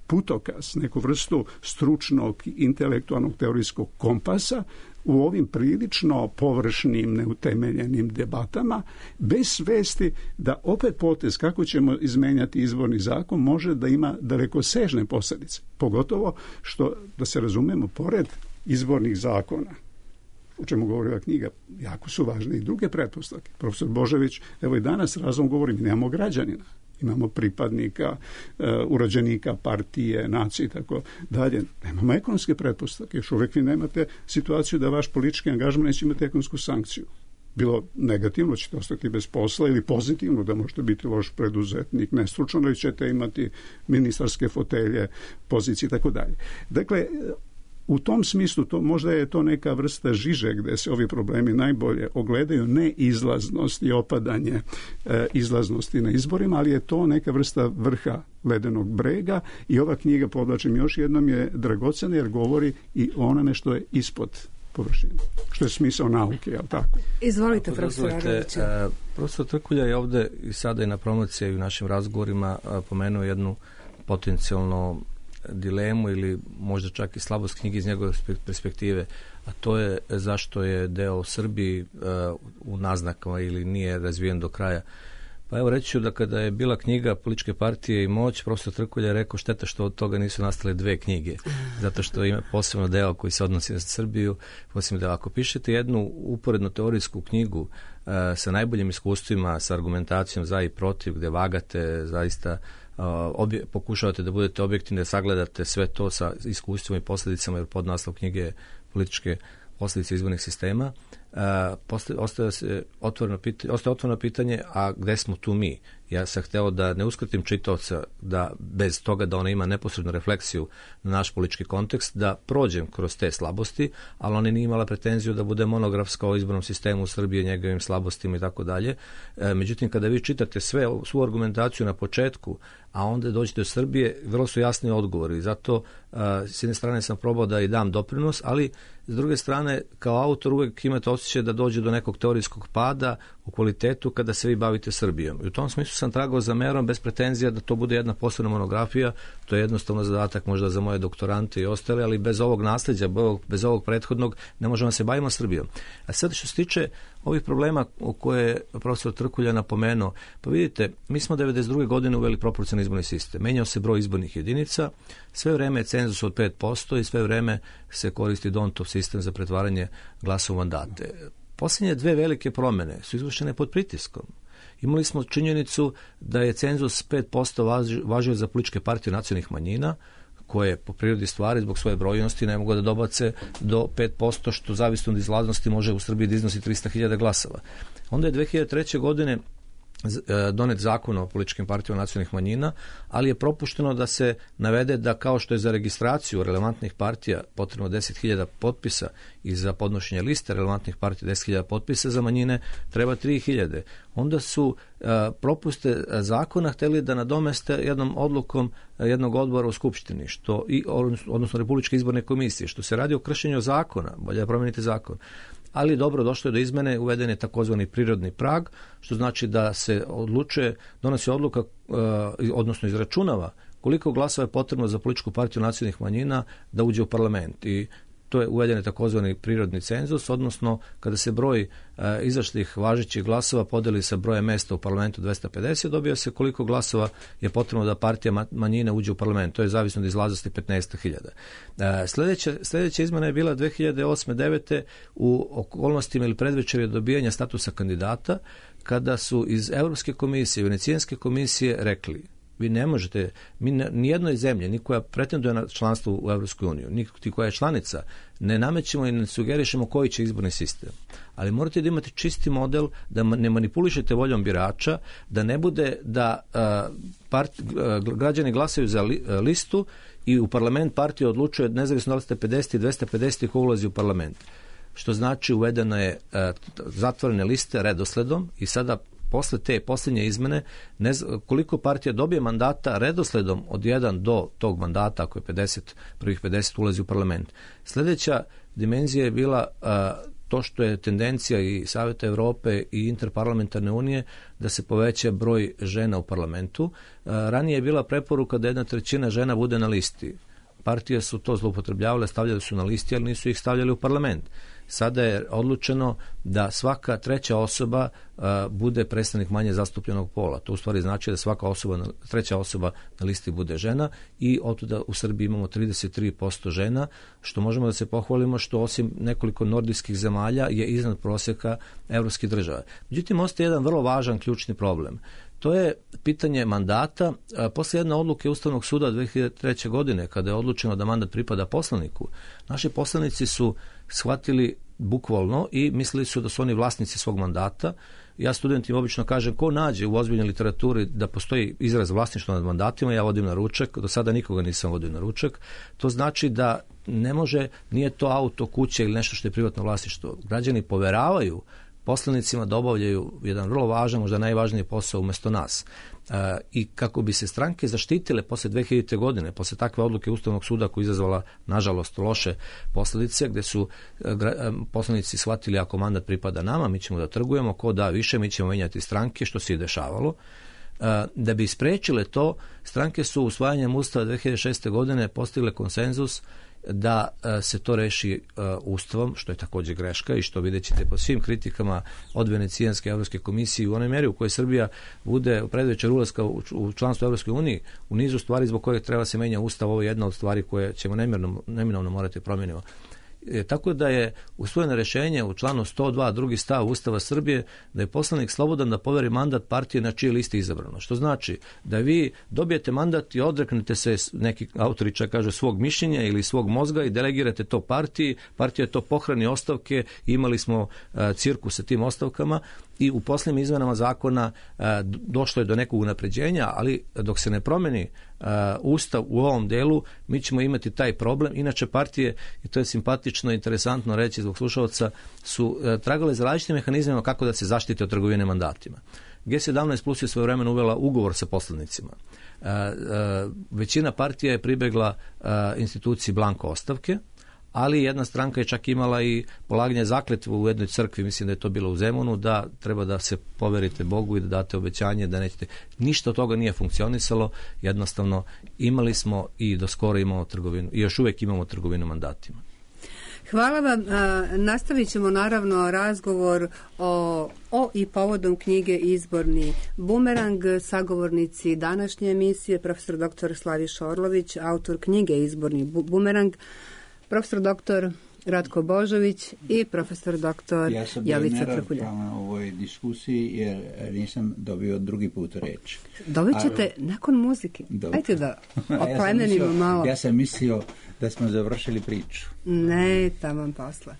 putokaz, neku vrstu stručnog, intelektualnog, teorijskog kompasa u ovim prilično površnim, neutemeljenim debatama, bez svesti da opet potez kako ćemo izmenjati izborni zakon može da ima dalekosežne posljedice. Pogotovo što, da se razumemo, pored izbornih zakona, o čemu govori ova knjiga, jako su važne i druge pretpostavke. Profesor Božović, evo i danas razom govorim, nemamo građanina. Imamo pripadnika, urođenika partije, nacije i tako dalje. Nemamo ekonomske pretpostavke. Još uvijek vi nemate situaciju da vaš politički angažman neće imati ekonomsku sankciju. Bilo negativno, ćete ostati bez posla, ili pozitivno, da možete biti loš preduzetnik, nestručno, ili ćete imati ministarske fotelje, pozicije i tako dalje. Dakle, u tom smislu možda je to neka vrsta žiže gdje se ovi problemi najbolje ogledaju, ne izlaznost i opadanje izlaznosti na izborima, ali je to neka vrsta vrha ledenog brega i ova knjiga, podlačim još jednom, je dragocena jer govori i o onome što je ispod površine, što je smisao nauke, jel tako? Izvolite, profesor Arlović. Profesor Trkulja je ovde i sada i na promociji i u našim razgovorima pomenuo jednu potencijalno dilemu ili možda čak i slabost knjige iz njegove perspektive, a to je zašto je deo Srbiji u naznakama ili nije razvijen do kraja. Pa evo reći ću da kada je bila knjiga Političke partije i moć, profesor Trkulja je rekao šteta što od toga nisu nastale 2 knjige, zato što ima posebno deo koji se odnosi na Srbiju, posebno deo. Ako pišete jednu uporednu teorijsku knjigu sa najboljim iskustvima, sa argumentacijom za i protiv, gde vagate zaista, pokušavate da budete objektivni, da sagledate sve to sa iskustvima i posljedicama, jer podnaslov knjige je Političke posljedice izbornih sistema, ostaje otvoreno pitanje, a gde smo tu mi? Ja sam hteo da ne uskratim čitaoca, da bez toga da ona ima neposrednu refleksiju na naš politički kontekst, da prođem kroz te slabosti, ali ona nije imala pretenziju da bude monografska o izbornom sistemu u Srbiji, njegovim slabostima i tako dalje. Međutim, kada vi čitate svu argumentaciju na početku, a onda dođete do Srbije, vrlo su jasni odgovori. Zato s jedne strane sam probao da i dam doprinos, ali s druge strane, kao autor uvek imate osjećaj da dođe do nekog teorijskog pada u kvalitetu kada se vi bavite Srbijom. I u tom smislu sam tragao za merom bez pretenzija da to bude jedna posebna monografija. To je jednostavno zadatak možda za moje doktorante i ostale, ali bez ovog nasljeđa, bez ovog prethodnog ne možemo da se bavimo Srbijom. A sad što se tiče ovih problema o koje je profesor Trkulja napomenuo, pa vidite, mi smo 1992. godine uveli proporcionalni izborni sistem. Menjao se broj izbornih jedinica, sve vreme je cenzus od 5% i sve vreme se koristi Dontov sistem za pretvaranje glasa u mandate. Posljednje 2 velike promjene su izvršene pod pritiskom. Imali smo činjenicu da je cenzus 5% važio za političke partije nacionalnih manjina, koje po prirodi stvari zbog svoje brojnosti ne mogu da dobace do 5%, što zavisno od izlaznosti može u Srbiji da iznosi 300.000 glasova. Onda je 2003. godine donet zakon o političkim partijama nacionalnih manjina, ali je propušteno da se navede da kao što je za registraciju relevantnih partija potrebno 10.000 potpisa i za podnošenje liste relevantnih partija 10.000 potpisa, za manjine treba 3.000. Onda su propuste zakona hteli da nadomeste jednom odlukom jednog odbora u Skupštini, odnosno Republičke izborne komisije, što se radi o kršenju zakona, bolje promeniti zakon. Ali dobro, došlo je do izmene, uveden je takozvani prirodni prag, što znači da se donosi odluka, odnosno izračunava koliko glasova je potrebno za političku partiju nacionalnih manjina da uđe u parlament. I to je uveden takozvani prirodni cenzus, odnosno kada se broj izašlih važećih glasova podeli sa brojem mesta u parlamentu 250, dobija se koliko glasova je potrebno da partija manjine uđe u parlament. To je zavisno od izlaznosti 15.000. Sljedeća izmena je bila 2008-2009 u okolnostima ili predvečerje dobijanja statusa kandidata, kada su iz Europske komisije, Venecijanske komisije rekli: vi ne možete, nijednoj zemlji, ni koja pretenduje na članstvo u Evropskoj uniji, ni koja je članica, ne namećemo i ne sugerišemo koji će izborni sistem. Ali morate da imate čisti model, da ne manipulišete voljom birača, da ne bude da građani glasaju za listu i u parlament partija odlučuje, nezavisno da li ste 50 i 250 ko ulazi u parlament. Što znači uvedena je zatvorene liste redosledom i sada posle te posljednje izmene, koliko partija dobije mandata redosledom od 1 do tog mandata, ako je 50, prvih 50 ulazi u parlament. Sljedeća dimenzija je bila to što je tendencija i Saveta Evrope i Interparlamentarne unije da se poveća broj žena u parlamentu. Ranije je bila preporuka da 1/3 žena bude na listi. Partije su to zloupotrebljavale, stavljali su na listi, ali nisu ih stavljali u parlament. Sada je odlučeno da svaka 3. osoba bude predstavnik manje zastupljenog pola. To u stvari znači da svaka 3. osoba na listi bude žena i otuda u Srbiji imamo 33% žena, što možemo da se pohvalimo, što osim nekoliko nordijskih zemalja je iznad prosjeka evropskih država. Međutim, ostaje jedan vrlo važan ključni problem. To je pitanje mandata. Posle jedne odluke Ustavnog suda 2003. godine, kada je odlučeno da mandat pripada poslaniku, naši poslanici su shvatili bukvalno i mislili su da su oni vlasnici svog mandata. Ja studentima obično kažem, ko nađe u ozbiljnoj literaturi da postoji izraz vlasništva nad mandatima, ja vodim na ručak, do sada nikoga nisam vodio na ručak. To znači da ne može, nije to auto, kuće ili nešto što je privatno vlasništvo. Građani poveravaju poslanicima da obavljaju jedan vrlo važan, možda najvažniji posao umjesto nas. I kako bi se stranke zaštitile posle 2000. godine, posle takve odluke Ustavnog suda koja je izazvala, nažalost, loše posljedice, gde su poslanici shvatili ako mandat pripada nama, mi ćemo da trgujemo, ko da više, mi ćemo menjati stranke, što se je dešavalo. Da bi spriječile to, stranke su usvajanjem Ustava 2006. godine postigle konsenzus da se to reši Ustavom, što je također greška i što vidjet ćete po svim kritikama od Venecijanske Evropske komisije u onoj mjeri u kojoj Srbija bude u predvečer ulaska u članstvo Evropske unije, u nizu stvari zbog kojeg treba se menja Ustav, ovo je jedna od stvari koje ćemo neminovno morati promijeniti. Tako da je usvojeno rješenje u članu 102 drugi stav Ustava Srbije da je poslanik slobodan da poveri mandat partije na čije listi izabrano. Što znači da vi dobijete mandat i odreknete se, neki autori čak kažu, svog mišljenja ili svog mozga i delegirate to partiji. Partija to pohrani ostavke, imali smo cirkus sa tim ostavkama i u posljednjim izmenama zakona došlo je do nekog unapređenja, ali dok se ne promeni Ustav u ovom delu, mi ćemo imati taj problem. Inače partije, i to je simpatično i interesantno reći zbog slušalca, su tragale za različitim mehanizmima kako da se zaštite od trgovine mandatima. G17 plus je svojevremeno uvela ugovor sa poslanicima. Većina partija je pribegla instituciji blanko ostavke, ali jedna stranka je čak imala i polaganje zakletve u jednoj crkvi, mislim da je to bilo u Zemunu, da treba da se poverite Bogu i da date obećanje da nećete. Ništa od toga nije funkcionisalo, jednostavno imali smo i do skoro imamo trgovinu, i još uvijek imamo trgovinu mandatima. Hvala vam. Nastavit ćemo naravno razgovor o i povodom knjige Izborni bumerang. Sagovornici današnje emisije, profesor dr. Slaviša Orlović, autor knjige Izborni bumerang, profesor dr. Ratko Božović i profesor dr. Jovica Trkulja. Ja sam bio u ovoj diskusiji jer nisam dobio drugi put reč. Dobit ćete nakon muzike. Ajde da oplemenimo malo. Ja sam mislio da smo završili priču. Ne, taman posle.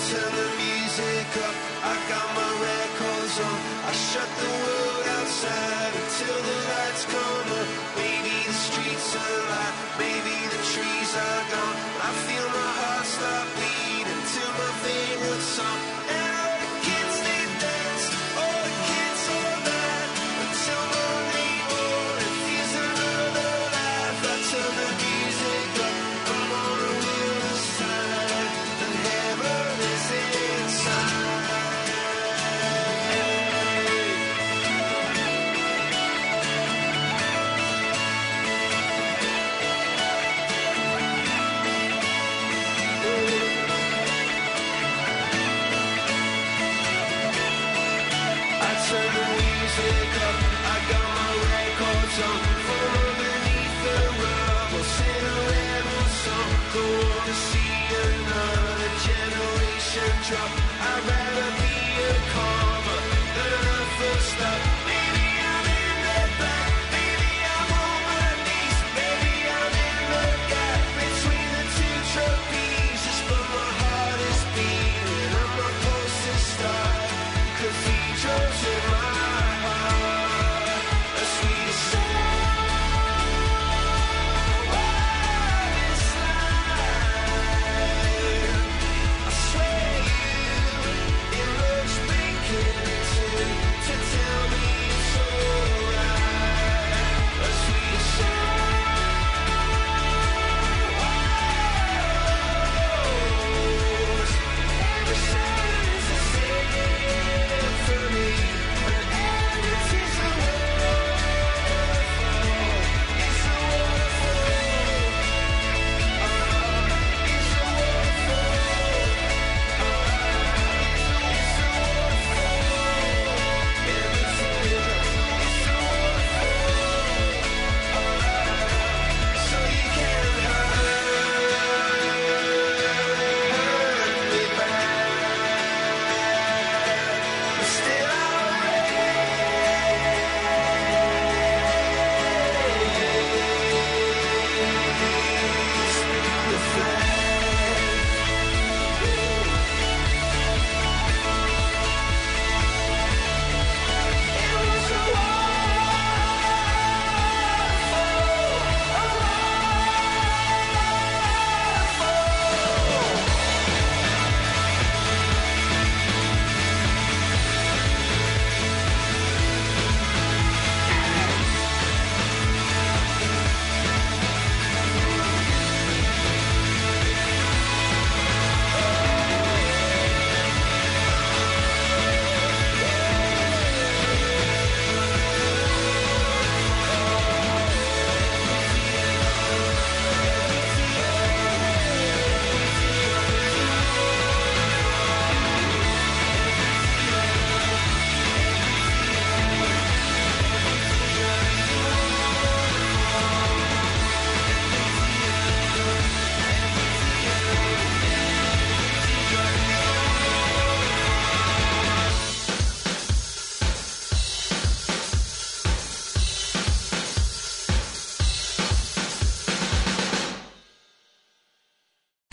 Turn the music up, I got my records on. I shut the world outside until the lights come up. Maybe the streets are alive, maybe the trees are gone. I feel my heart start beating to my favorite song. And all the kids, they dance, all the kids all that until Monday morning feels another life. I turn the music up, I'm on the wilderness side, and heaven is inside.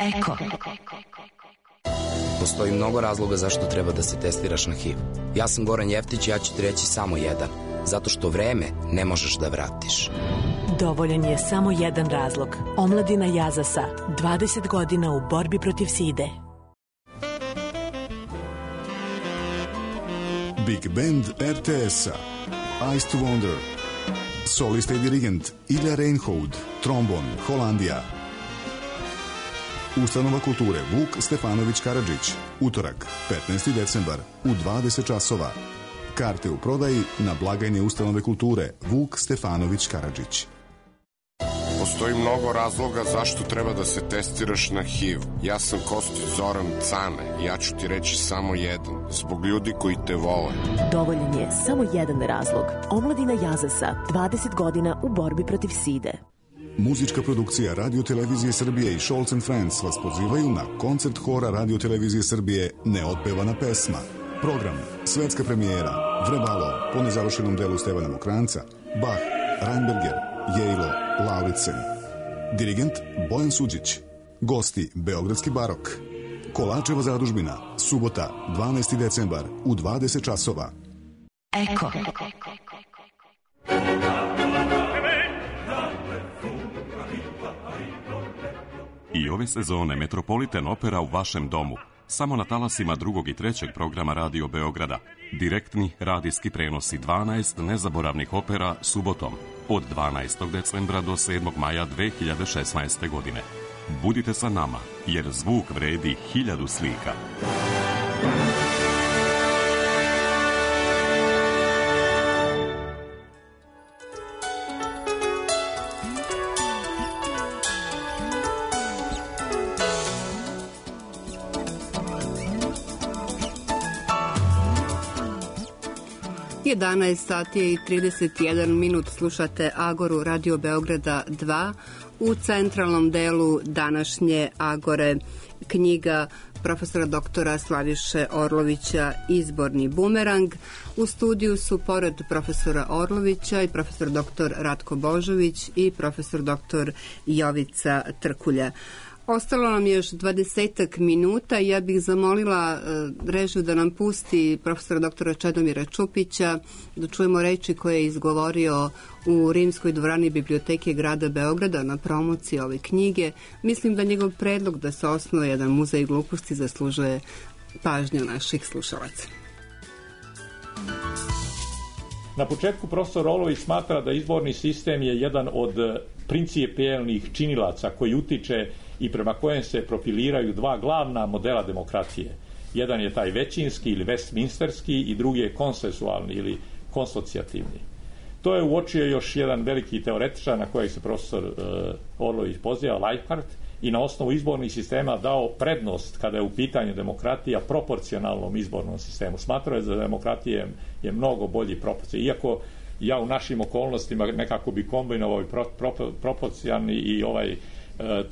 Eko. Postoji mnogo razloga zašto treba da se testiraš na HIV. Ja sam Goran Jeftić i ja ću ti reći samo jedan. Zato što vreme ne možeš da vratiš. Dovoljan je samo jedan razlog. Omladina Jazasa, 20 godina u borbi protiv side. Big Band RTS-a, Ice to Wonder, solista i dirigent Ilja Reinhold, trombon, Holandija. Ustanova kulture Vuk Stefanović Karadžić, utorak, 15. decembar, u 20 časova. Karte u prodaji na blagajni Ustanove kulture Vuk Stefanović Karadžić. Postoji mnogo razloga zašto treba da se testiraš na HIV. Ja sam Kostić Zoran Cane i ja ću ti reći samo jedan. Zbog ljudi koji te vole. Dovoljan je samo jedan razlog. Omladina Jazasa, 20 godina u borbi protiv side. Muzička produkcija Radio Televizije Srbije i Scholz & Friends vas pozivaju na koncert hora Radio Televizije Srbije Neotpevana pesma. Program, svetska premijera, Vrebalo, po nezavršenom delu Stevana Mokranca, Bach, Reinberger, Jejlo, Lauritsen. Dirigent Bojan Suđić. Gosti Beogradski barok. Kolačeva zadužbina, subota, 12. decembar, u 20 časova. Eko. I ove sezone Metropolitan Opera u vašem domu. Samo na talasima drugog i trećeg programa Radio Beograda. Direktni radijski prenosi 12 nezaboravnih opera subotom od 12. decembra do 7. maja 2016. godine. Budite sa nama, jer zvuk vredi 1000 slika. Je 11 sati i 31 minut, slušate Agoru Radio Beograda 2 u centralnom delu današnje Agore, knjiga profesora doktora Slaviše Orlovića Izborni bumerang. U studiju su pored profesora Orlovića i profesor doktor Ratko Božović i profesor doktor Jovica Trkulja. Ostalo nam još 20 minuta i ja bih zamolila režiju da nam pusti profesora doktora Čedomira Čupića da čujemo reči koje je izgovorio u Rimskoj dvorani Biblioteke grada Beograda na promociji ove knjige. Mislim da njegov predlog da se osnuje jedan muzej gluposti zaslužuje pažnju naših slušalaca. Na početku profesor Orlović smatra da izborni sistem je jedan od principijelnih činilaca koji utiče i prema kojem se profiliraju dva glavna modela demokratije. Jedan je taj većinski ili westminsterski i drugi je konsensualni ili konsocijativni. To je uočio još jedan veliki teoretičar na kojeg se profesor Orlović poziva, Leichhardt, i na osnovu izbornih sistema dao prednost kada je u pitanju demokratija proporcionalnom izbornom sistemu. Smatrao je da demokratija je mnogo bolji proporcionalni. Iako ja u našim okolnostima nekako bi kombinovao i proporcionalni i ovaj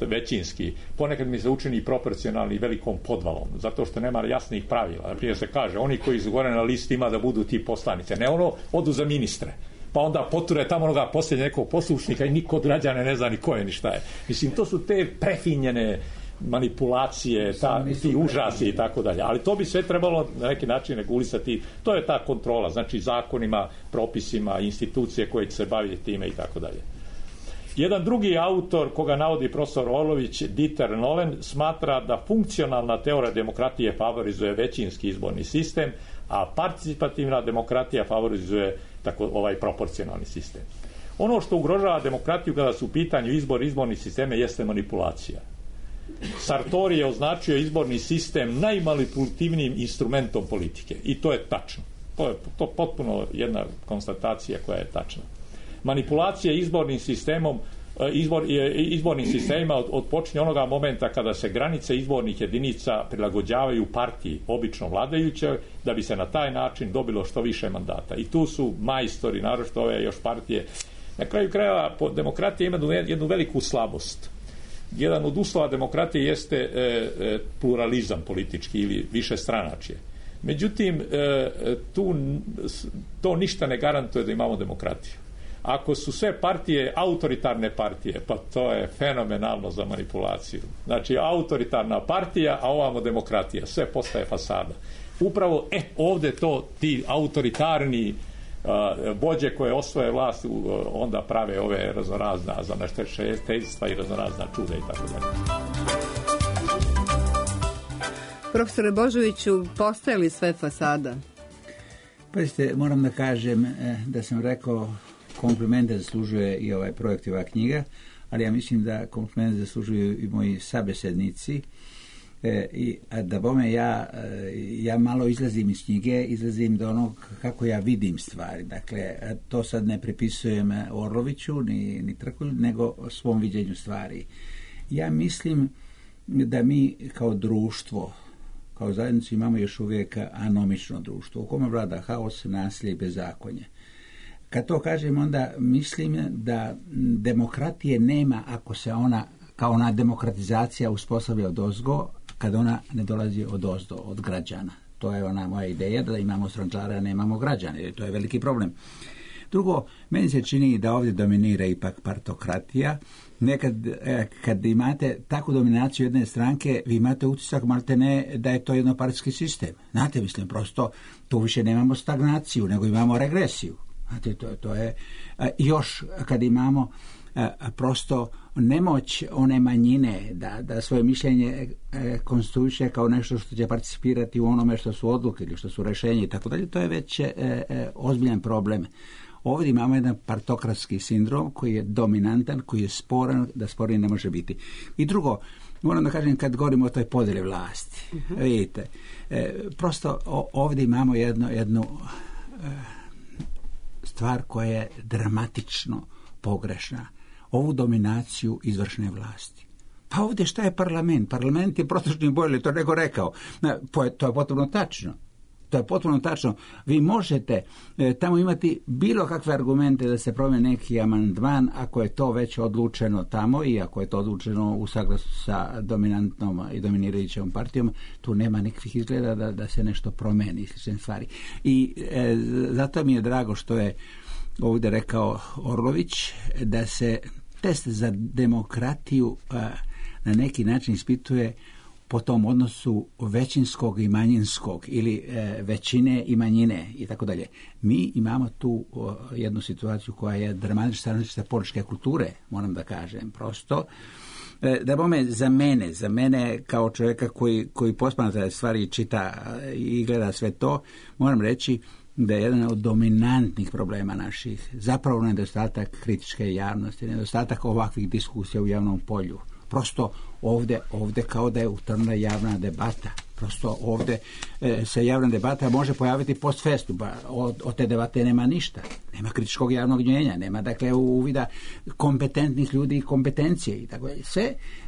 većinski. Ponekad mi se učini proporcionalni velikom podvalom, zato što nema jasnih pravila. Naprimjer se kaže, oni koji su gore na listi ima da budu ti poslanice. Ne ono, odu za ministre. Pa onda poture tamo onoga posljednje nekog poslušnika i niko od građana ne zna ni ko je ni šta je. Mislim, to su te prefinjene manipulacije, ti užasi i tako dalje. Ali to bi sve trebalo na neki način regulisati. To je ta kontrola, znači zakonima, propisima, institucije koje će se baviti time i tako dalje. Jedan drugi autor koga navodi profesor Orlović, Dieter Nolen, smatra da funkcionalna teorija demokratije favorizuje većinski izborni sistem, a participativna demokratija favorizuje ovaj proporcionalni sistem. Ono što ugrožava demokratiju kada su u pitanju izborni sisteme jeste manipulacija. Sartori je označio izborni sistem najmanipulativnijim instrumentom politike i to je tačno. To je potpuno jedna konstatacija koja je tačna. Manipulacija izbornim sistemom izbornim sistemima odpočinje onoga momenta kada se granice izbornih jedinica prilagođavaju partiji, obično vladajućoj, da bi se na taj način dobilo što više mandata. I tu su majstori, naročito ove još partije. Na kraju krajeva demokratija ima jednu veliku slabost. Jedan od uslova demokratije jeste pluralizam politički ili višestranačje. Međutim, to ništa ne garantuje da imamo demokratiju. ako su sve partije autoritarne partije, pa to je fenomenalno za manipulaciju. Znači, autoritarna partija, a ovamo demokratija. Sve postaje fasada. Upravo, ovdje to ti autoritarni vođe koje osvoje vlast onda prave ove raznorazna zanešteljstva i raznorazna čuda i tako dalje. Profesore Božoviću, postoje li sve fasada? Pazite, moram da kažem da sam rekao komplimente zaslužuje i ovaj projekt i ova knjiga, ali ja mislim da komplimente zaslužuju i moji sabesednici. Da bome ja malo izlazim iz knjige, izlazim do onog kako ja vidim stvari. Dakle, to sad ne pripisujem Orloviću ni Trkulju, nego svom viđenju stvari. Ja mislim da mi kao društvo, kao zajednicu imamo još uvijek anomično društvo u kome vlada haos, nasilje i bezakonje. Kad to kažem, onda mislim da demokratije nema ako se ona, kao ona demokratizacija uspostavlja odozgo, kad ona ne dolazi odozdo, od građana. To je ona moja ideja, da imamo strančare, a nemamo građane, jer to je veliki problem. Drugo, meni se čini da ovdje dominira ipak partokratija. Nekad, kad imate takvu dominaciju jedne stranke, vi imate utisak maltene da je to jednopartijski sistem. Znate, mislim, prosto tu više nemamo stagnaciju, nego imamo regresiju. Znate, to je još kad imamo prosto nemoć one manjine da svoje mišljenje konstituiše kao nešto što će participirati u onome što su odluke ili što su rješenje i tako dalje, to je već ozbiljan problem. Ovdje imamo jedan partokratski sindrom koji je dominantan, koji je sporan, da sporiji ne može biti. I drugo, moram da kažem, kad govorimo o toj podjeli vlasti, vidite, prosto ovdje imamo jednu stvar koja je dramatično pogrešna. Ovu dominaciju izvršne vlasti. Pa ovdje šta je parlament? Parlament je protočni bojler, to neko rekao. To je potpuno tačno. To je potpuno tačno. Vi možete tamo imati bilo kakve argumente da se promijeni neki amandman ako je to već odlučeno tamo i ako je to odlučeno u saglasu sa dominantnom i dominirajućom partijom, tu nema nikakvih izgleda da se nešto promijeni, slične stvari. I zato mi je drago što je ovdje rekao Orlović da se test za demokratiju na neki način ispituje po tom odnosu većinskog i manjinskog ili većine i manjine i tako dalje. Mi imamo tu jednu situaciju koja je dramatična političke kulture, moram da kažem, prosto. Da bome za mene kao čovjeka koji posmatra stvari, čita i gleda sve to, moram reći da je jedan od dominantnih problema naših zapravo nedostatak kritičke javnosti, nedostatak ovakvih diskusija u javnom polju. Prosto ovdje kao da je utrnula javna debata. Prosto ovdje se javna debata može pojaviti post festum, pa od te debate nema ništa. Nema kritičkog javnog mnjenja, nema dakle uvida kompetentnih ljudi i kompetencije i tako dalje.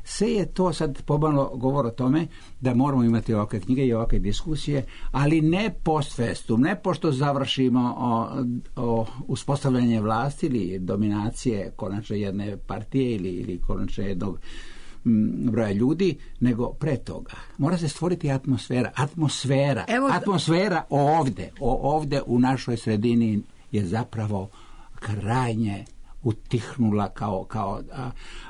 Sve je to sad pomalo govor o tome da moramo imati ovakve knjige i ovakve diskusije, ali ne post festum, ne pošto završimo o uspostavljanje vlasti ili dominacije konačno jedne partije ili konačno jednog broja ljudi, nego pre toga. Mora se stvoriti atmosfera. Atmosfera ovdje u našoj sredini je zapravo krajnje utihnula kao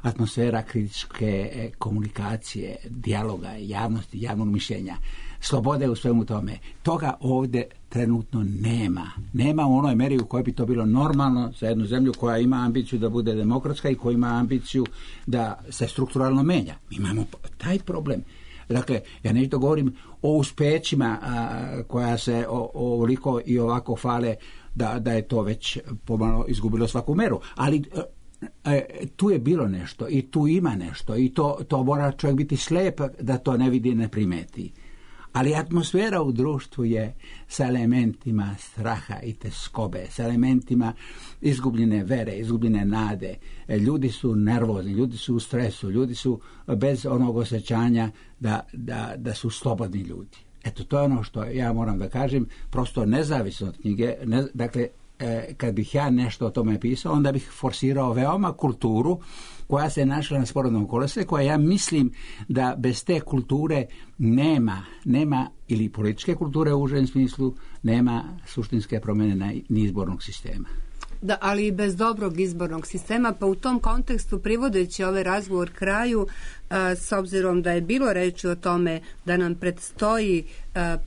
atmosfera kritičke komunikacije, dijaloga, javnosti, javnog mišljenja, slobode u svemu tome. Toga ovdje trenutno nema. Nema u onoj meri u kojoj bi to bilo normalno za jednu zemlju koja ima ambiciju da bude demokratska i koja ima ambiciju da se strukturalno menja. Mi imamo taj problem. Dakle, ja nešto govorim o uspećima koja se ovoliko i ovako fale da je to već pomalo izgubilo svaku meru. Ali tu je bilo nešto i tu ima nešto i to mora čovjek biti slijep da to ne vidi i ne primeti. Ali atmosfera u društvu je sa elementima straha i teskobe, sa elementima izgubljene vere, izgubljene nade. Ljudi su nervozni, ljudi su u stresu, ljudi su bez onog osjećanja da su slobodni ljudi. Eto, to je ono što ja moram da kažem, prosto nezavisno od knjige. Dakle, kad bih ja nešto o tome pisao, onda bih forsirao veoma kulturu koja se našla na sporednom kolesu, koja ja mislim da bez te kulture nema ili političke kulture u užem smislu, nema suštinske promjene ni izbornog sistema. Da, ali i bez dobrog izbornog sistema, pa u tom kontekstu privodeći ovaj razgovor kraju, s obzirom da je bilo reči o tome da nam predstoji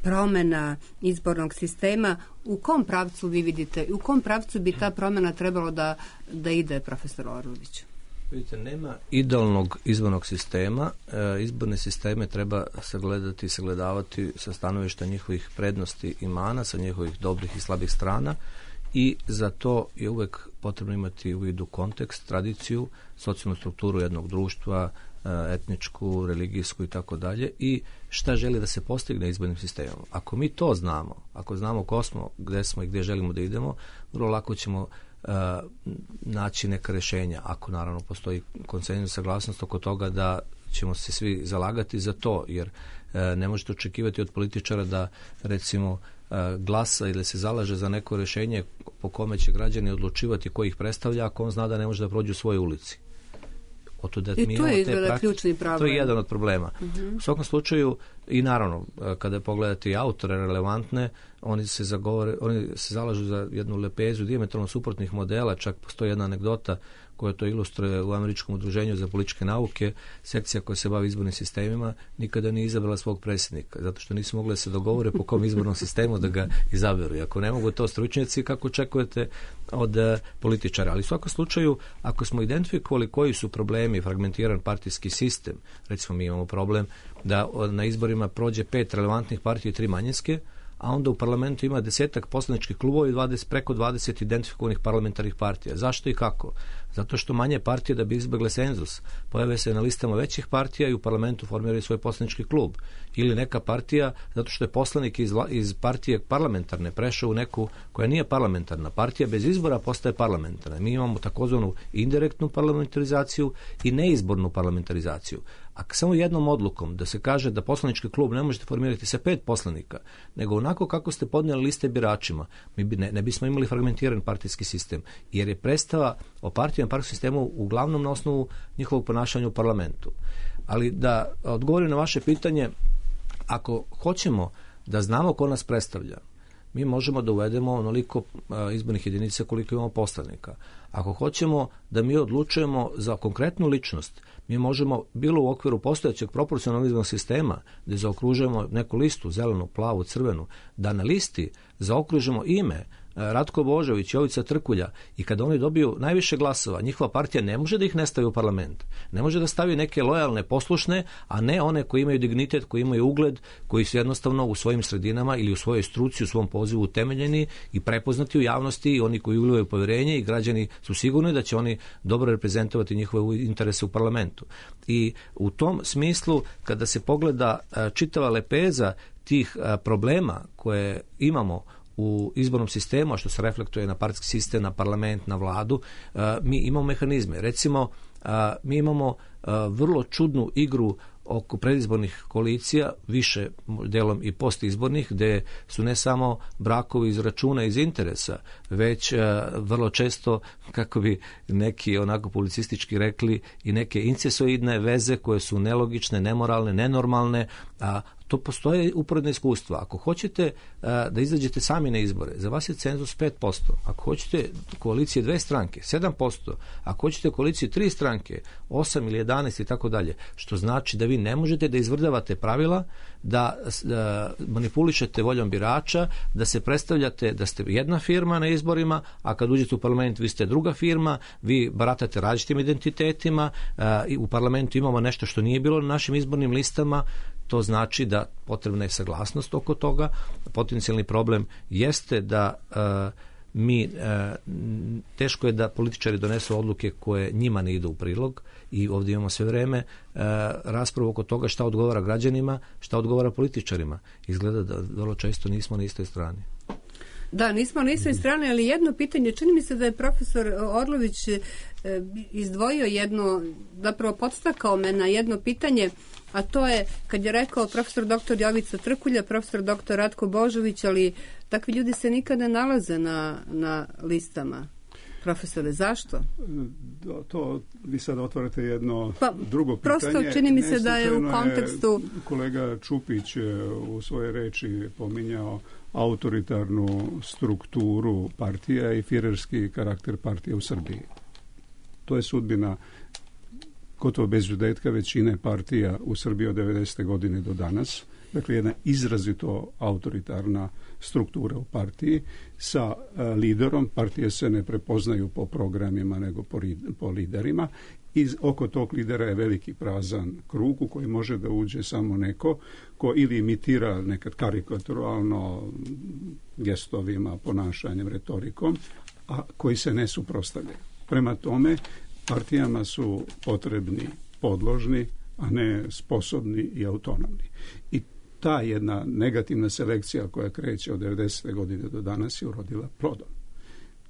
promjena izbornog sistema, u kom pravcu vi vidite, u kom pravcu bi ta promjena trebalo da ide, profesor Orlović? Vidite, nema idealnog izbornog sistema. Izborne sisteme treba sagledati i sagledavati sa stanovišta njihovih prednosti i mana, sa njihovih dobrih i slabih strana, i za to je uvek potrebno imati u vidu kontekst, tradiciju, socijalnu strukturu jednog društva, etničku, religijsku i tako dalje, i šta želi da se postigne izbornim sistemom. Ako mi to znamo, ako znamo ko smo, gde smo i gdje želimo da idemo, vrlo lako ćemo naći neka rješenja, ako naravno postoji konsenzus, saglasnost oko toga da ćemo se svi zalagati za to, jer ne možete očekivati od političara da recimo glasa ili se zalaže za neko rješenje po kome će građani odlučivati ko ih predstavlja, ako on zna da ne može da prođe u svojoj ulici. I to je izgleda ključni problem. To je jedan od problema. U svakom slučaju, i naravno, kada pogledate i autore relevantne, oni se zalažu za jednu lepezu dijametralno suprotnih modela. Čak postoji jedna anegdota koja to ilustruje u Američkom udruženju za političke nauke. Sekcija koja se bavi izbornim sistemima nikada nije izabrala svog predsjednika, zato što nisu mogli da se dogovore po kom izbornom sistemu da ga izaberu. I ako ne mogu to stručnjaci, kako očekujete od političara? Ali u svakom slučaju, ako smo identifikovali koji su problemi, fragmentiran partijski sistem, recimo mi imamo problem da na izborima prođe 5 relevantnih partija i 3 manjinske, a onda u parlamentu ima 10-ak poslaničkih klubova i preko 20 identifikovanih parlamentarnih partija. Zašto i kako? Zato što manje partije, da bi izbegle senzus, pojave se na listama većih partija i u parlamentu formiraju svoj poslanički klub. Ili neka partija, zato što je poslanik iz partije parlamentarne prešao u neku koja nije parlamentarna. Partija bez izbora postaje parlamentarna. Mi imamo takozvanu indirektnu parlamentarizaciju i neizbornu parlamentarizaciju. A samo jednom odlukom da se kaže da poslanički klub ne možete formirati sa 5 poslanika, nego onako kako ste podnijeli liste biračima, mi ne bismo imali fragmentiran partijski sistem, jer je predstava o partijskom sistemu uglavnom na osnovu njihovog ponašanja u parlamentu. Ali da odgovorim na vaše pitanje, ako hoćemo da znamo ko nas predstavlja, mi možemo da uvedemo onoliko izbornih jedinica koliko imamo poslanika. Ako hoćemo da mi odlučujemo za konkretnu ličnost, mi možemo, bilo u okviru postojećeg proporcionalnog izbornog sistema, da zaokružujemo neku listu, zelenu, plavu, crvenu, da na listi zaokružimo ime Ratko Božović, Jovica Trkulja, i kada oni dobiju najviše glasova, njihova partija ne može da ih ne stavi u parlament. Ne može da stavi neke lojalne, poslušne, a ne one koji imaju dignitet, koji imaju ugled, koji su jednostavno u svojim sredinama ili u svojoj struci, u svom pozivu utemeljeni i prepoznati u javnosti, i oni koji ulivaju povjerenje, i građani su sigurni da će oni dobro reprezentovati njihove interese u parlamentu. I u tom smislu, kada se pogleda čitava lepeza tih problema koje imamo u izbornom sistemu, a što se reflektuje na partijski sistem, na parlament, na vladu, mi imamo mehanizme. Recimo, mi imamo vrlo čudnu igru oko predizbornih koalicija, više delom i postizbornih, gde su ne samo brakovi iz računa, iz interesa, već vrlo često, kako bi neki onako publicistički rekli, i neke incesoidne veze koje su nelogične, nemoralne, nenormalne, a to postoje uporedna iskustva. Ako hoćete da izađete sami na izbore, za vas je cenzus 5%. Ako hoćete koalicije 2 stranke, 7%. Ako hoćete koalicije 3 stranke, 8 ili 11 i tako dalje. Što znači da vi ne možete da izvrdavate pravila, da manipulišete voljom birača, da se predstavljate da ste jedna firma na izborima, a kad uđete u parlament vi ste druga firma, vi baratate različitim identitetima, i u parlamentu imamo nešto što nije bilo na našim izbornim listama. To znači da potrebna je saglasnost oko toga. Potencijalni problem jeste da teško je da političari donesu odluke koje njima ne idu u prilog, i ovdje imamo sve vreme raspravu oko toga šta odgovara građanima, šta odgovara političarima. Izgleda da vrlo često nismo na istoj strani. Da, nismo na istoj strani, ali jedno pitanje, čini mi se da je profesor Orlović izdvojio jedno, zapravo podstakao me na jedno pitanje, a to je kad je rekao profesor dr. Jovica Trkulja, profesor dr. Ratko Božović, ali takvi ljudi se nikada ne nalaze na listama. profesore, zašto? To vi sad otvarate jedno drugo pitanje. Prosto čini mi se da je u kontekstu... Kolega Čupić u svojoj reči pominjao autoritarnu strukturu partija i firerski karakter partije u Srbiji. To je sudbina gotovo bez izuzetka većine partija u Srbiji od 90. godine do danas. Dakle, jedna izrazito autoritarna struktura u partiji sa liderom. Partije se ne prepoznaju po programima nego po liderima. Oko tog lidera je veliki prazan krug u koji može da uđe samo neko ko ili imitira nekad karikaturalno gestovima, ponašanjem, retorikom, a koji se ne suprotstavljaju. Prema tome, partijama su potrebni podložni, a ne sposobni i autonomni. I ta jedna negativna selekcija koja kreće od 90. godine do danas je urodila plodom.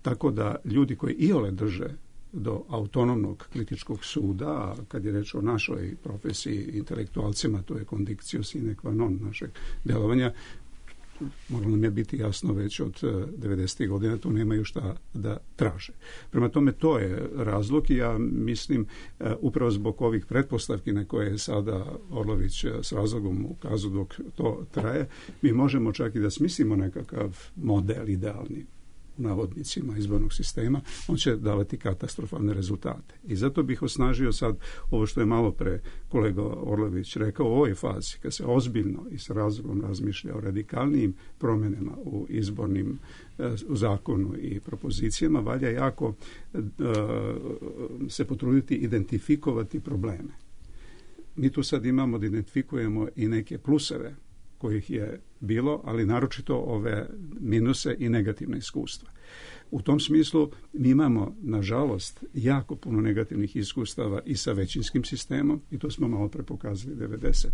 Tako da ljudi koji iole drže do autonomnog kritičkog suda, a kad je reč o našoj profesiji intelektualcima, to je conditio sine qua non našeg delovanja, moralo nam je biti jasno već od 90. godina, tu nemaju šta da traže. Prema tome, to je razlog i ja mislim upravo zbog ovih pretpostavki na koje je sada Orlović s razlogom ukazao dok to traje, mi možemo čak i da smislimo nekakav model idealni u navodnicima izbornog sistema, on će davati katastrofalne rezultate. I zato bih osnažio sad ovo što je malo pre kolega Orlović rekao, u ovoj fazi, kad se ozbiljno i s razlogom razmišlja o radikalnijim promjenama u izbornim u zakonu i propozicijama, valja jako se potruditi identifikovati probleme. Mi tu sad imamo da identifikujemo i neke pluseve kojih je bilo, ali naročito ove minuse i negativne iskustva. U tom smislu mi imamo, nažalost, jako puno negativnih iskustava i sa većinskim sistemom, i to smo malo pre pokazali 90.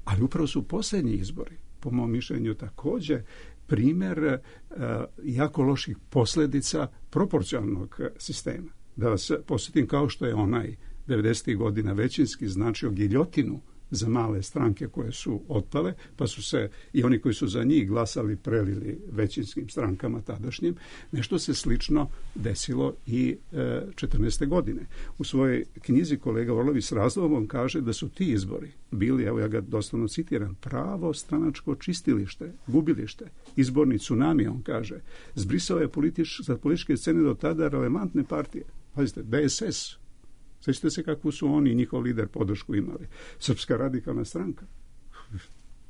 Ali upravo su posljednji izbori, po mom mišljenju, također primjer jako loših posljedica proporcionalnog sistema. Da vas posjetim, kao što je onaj 90. godina većinski značio giljotinu za male stranke koje su otpale, pa su se i oni koji su za njih glasali prelili većinskim strankama tadašnjim. Nešto se slično desilo i 14. godine. U svojoj knjizi kolega Orlović s razlogom kaže da su ti izbori bili, evo ja ga doslovno citiram, pravo stranačko čistilište, gubilište, izborni tsunami, on kaže. Zbrisao je za političke scene do tada relevantne partije. Pazite, DSS, sjećate se kakvu su oni i njihov lider podršku imali. Srpska radikalna stranka,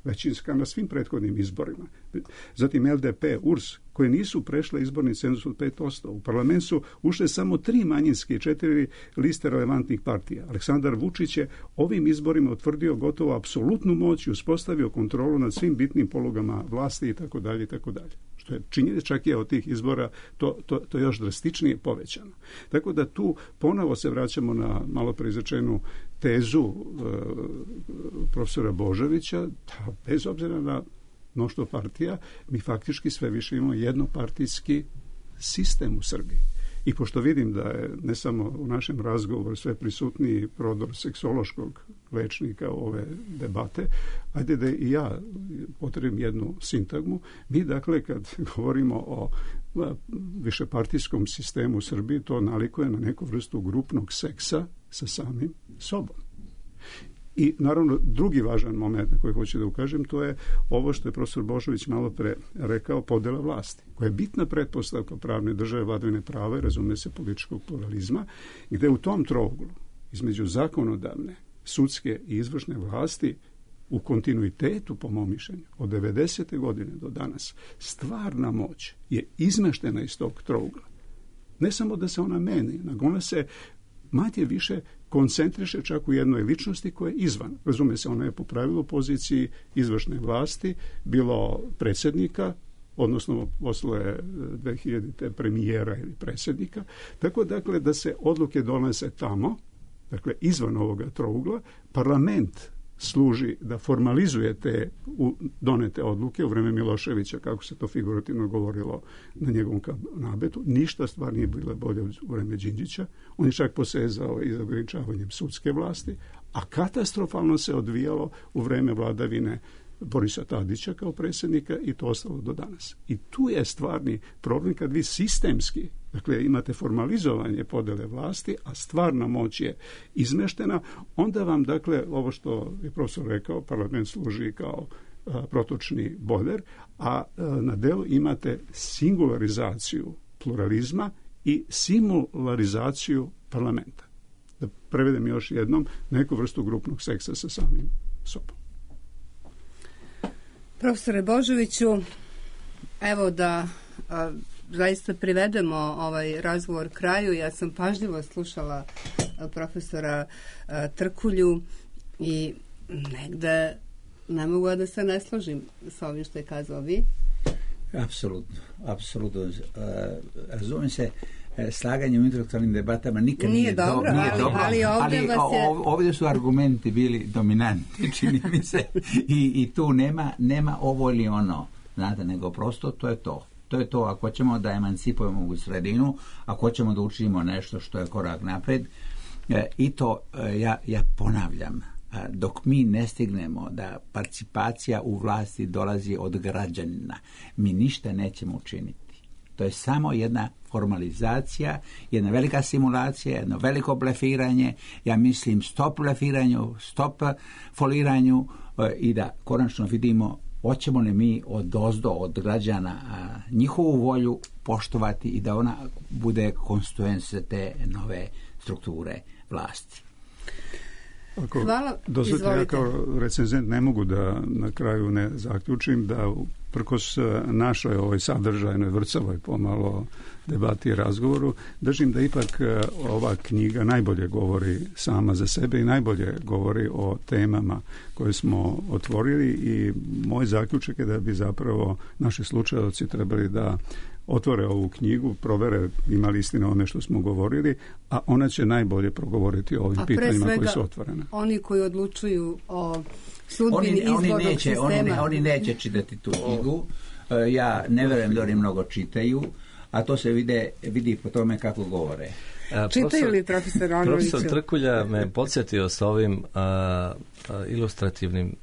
većinska na svim prethodnim izborima. Zatim LDP, URS, koje nisu prešle izborni cenzus od 5%. U parlament su ušle samo 3 manjinske i 4 liste relevantnih partija. Aleksandar Vučić je ovim izborima utvrdio gotovo apsolutnu moć i uspostavio kontrolu nad svim bitnim polugama vlasti itd. itd. Što je činjenica, čak je od tih izbora to još drastičnije povećano. Tako da tu ponovo se vraćamo na malo preizrečenu tezu profesora Božovića, da bez obzira na mnoštvo partija, mi faktički sve više imamo jednopartijski sistem u Srbiji. I pošto vidim da je ne samo u našem razgovoru sve prisutniji prodor seksološkog lečnika ove debate, ajde da i ja potrebim jednu sintagmu. Mi dakle kad govorimo o višepartijskom sistemu u Srbiji, to nalikuje na neku vrstu grupnog seksa sa samim sobom. I naravno drugi važan moment na koji hoću da ukažem, to je ovo što je profesor Božović malo pre rekao, podela vlasti, koja je bitna pretpostavka pravne države, vladavine prava i razume se političkog pluralizma, gde u tom trouglu između zakonodavne, sudske i izvršne vlasti u kontinuitetu, po mom mišljenju, od 90. godine do danas, stvarna moć je izmeštena iz tog trougla. Ne samo da se ona meni, nego ona se manje više koncentriše čak u jednoj ličnosti koja je izvan. Razume se, ona je po pravilu poziciji izvršne vlasti, bilo predsjednika, odnosno posle 2000. premijera ili predsjednika. Tako dakle da se odluke donese tamo, dakle izvan ovoga trougla, parlament služi da formalizuje te donete odluke u vreme Miloševića, kako se to figurativno govorilo na njegovom nabetu. Ništa stvar nije bila bolje u vreme Đinđića. On je čak posezao i za ograničavanjem sudske vlasti, a katastrofalno se odvijalo u vreme vladavine Borisa Tadića kao predsjednika i to ostalo do danas. I tu je stvarni problem kad vi sistemski, dakle imate formalizovanje podele vlasti, a stvarna moć je izmeštena, onda vam, dakle, ovo što je profesor rekao, parlament služi kao protočni bojler, a na delu imate singularizaciju pluralizma i simularizaciju parlamenta. Da prevedem još jednom, neku vrstu grupnog seksa sa samim sobom. Profesore Božoviću, evo da zaista privedemo ovaj razgovor kraju. Ja sam pažljivo slušala profesora Trkulju i negde ne mogu da se ne složim sa ovim što je kazao vi. Apsolutno. Razumijem se, slaganje u intelektualnim debatama nikad nije dobro. Ali ovdje su argumenti bili dominantni, čini mi se. I tu nema ovo ili ono, znate, nego prosto to je to. To je to, ako ćemo da emancipujemo u sredinu, ako ćemo da učinimo nešto što je korak napred, i to ja ponavljam, dok mi ne stignemo da participacija u vlasti dolazi od građanina, mi ništa nećemo učiniti. To je samo jedna formalizacija, jedna velika simulacija, jedno veliko blefiranje, ja mislim stop blefiranju, stop foliranju i da konačno vidimo hoćemo li mi odozdo od građana njihovu volju poštovati i da ona bude konstituens te nove strukture vlasti. Hvala, izvolite. Ja kao recenzent ne mogu da na kraju ne zaključim da prkos našoj ovoj sadržajnoj vrcavoj pomalo debati i razgovoru, držim da ipak ova knjiga najbolje govori sama za sebe i najbolje govori o temama koje smo otvorili i moj zaključak je da bi zapravo naši slušaoci trebali da otvore ovu knjigu, provere ima li istina o što smo govorili, a ona će najbolje progovoriti o ovim pitanjima koji su otvorene. Oni koji odlučuju o sudbini izbornog sistema. Oni neće čitati tu knjigu. Ja ne verujem da oni mnogo čitaju, a to se vidi po tome kako govore. Čitaju li profesor Onoviću? Profesor Trkulja me podsjetio sa ovim ilustrativnim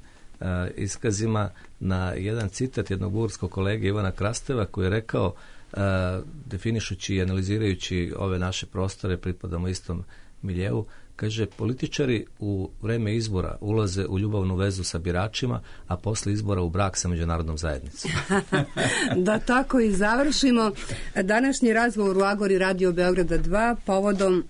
iskazima na jedan citat jednog bugarskog kolege Ivana Krasteva koji je rekao, definišući i analizirajući ove naše prostore, pripadamo istom miljeu, kaže, političari u vreme izbora ulaze u ljubavnu vezu sa biračima, a posle izbora u brak sa međunarodnom zajednicom. Da tako i završimo. Današnji razgovor u Agori Radio Beograda 2 povodom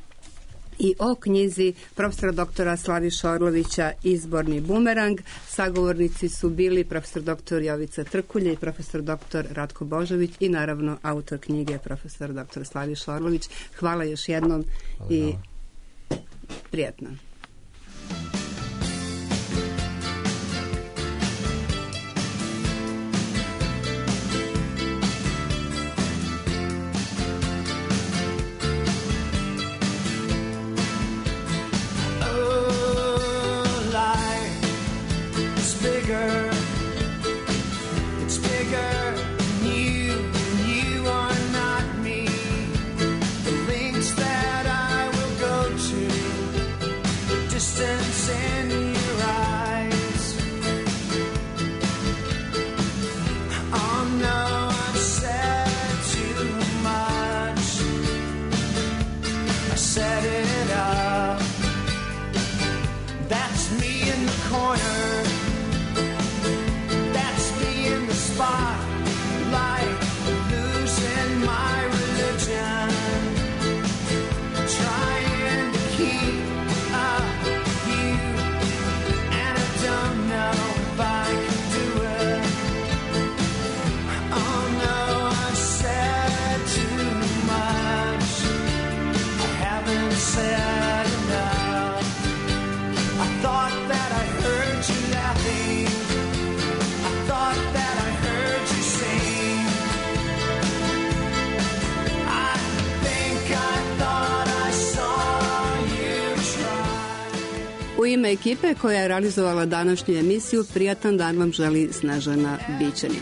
i o knjizi profesora doktora Slaviša Orlovića Izborni bumerang. Sagovornici su bili profesor doktor Jovica Trkulja i profesor doktor Ratko Božović i naravno autor knjige profesor doktor Slaviša Orlović. Hvala još jednom i prijatno. U ime ekipe koja je realizovala današnju emisiju, prijatan dan vam želi Snežana Bićanin.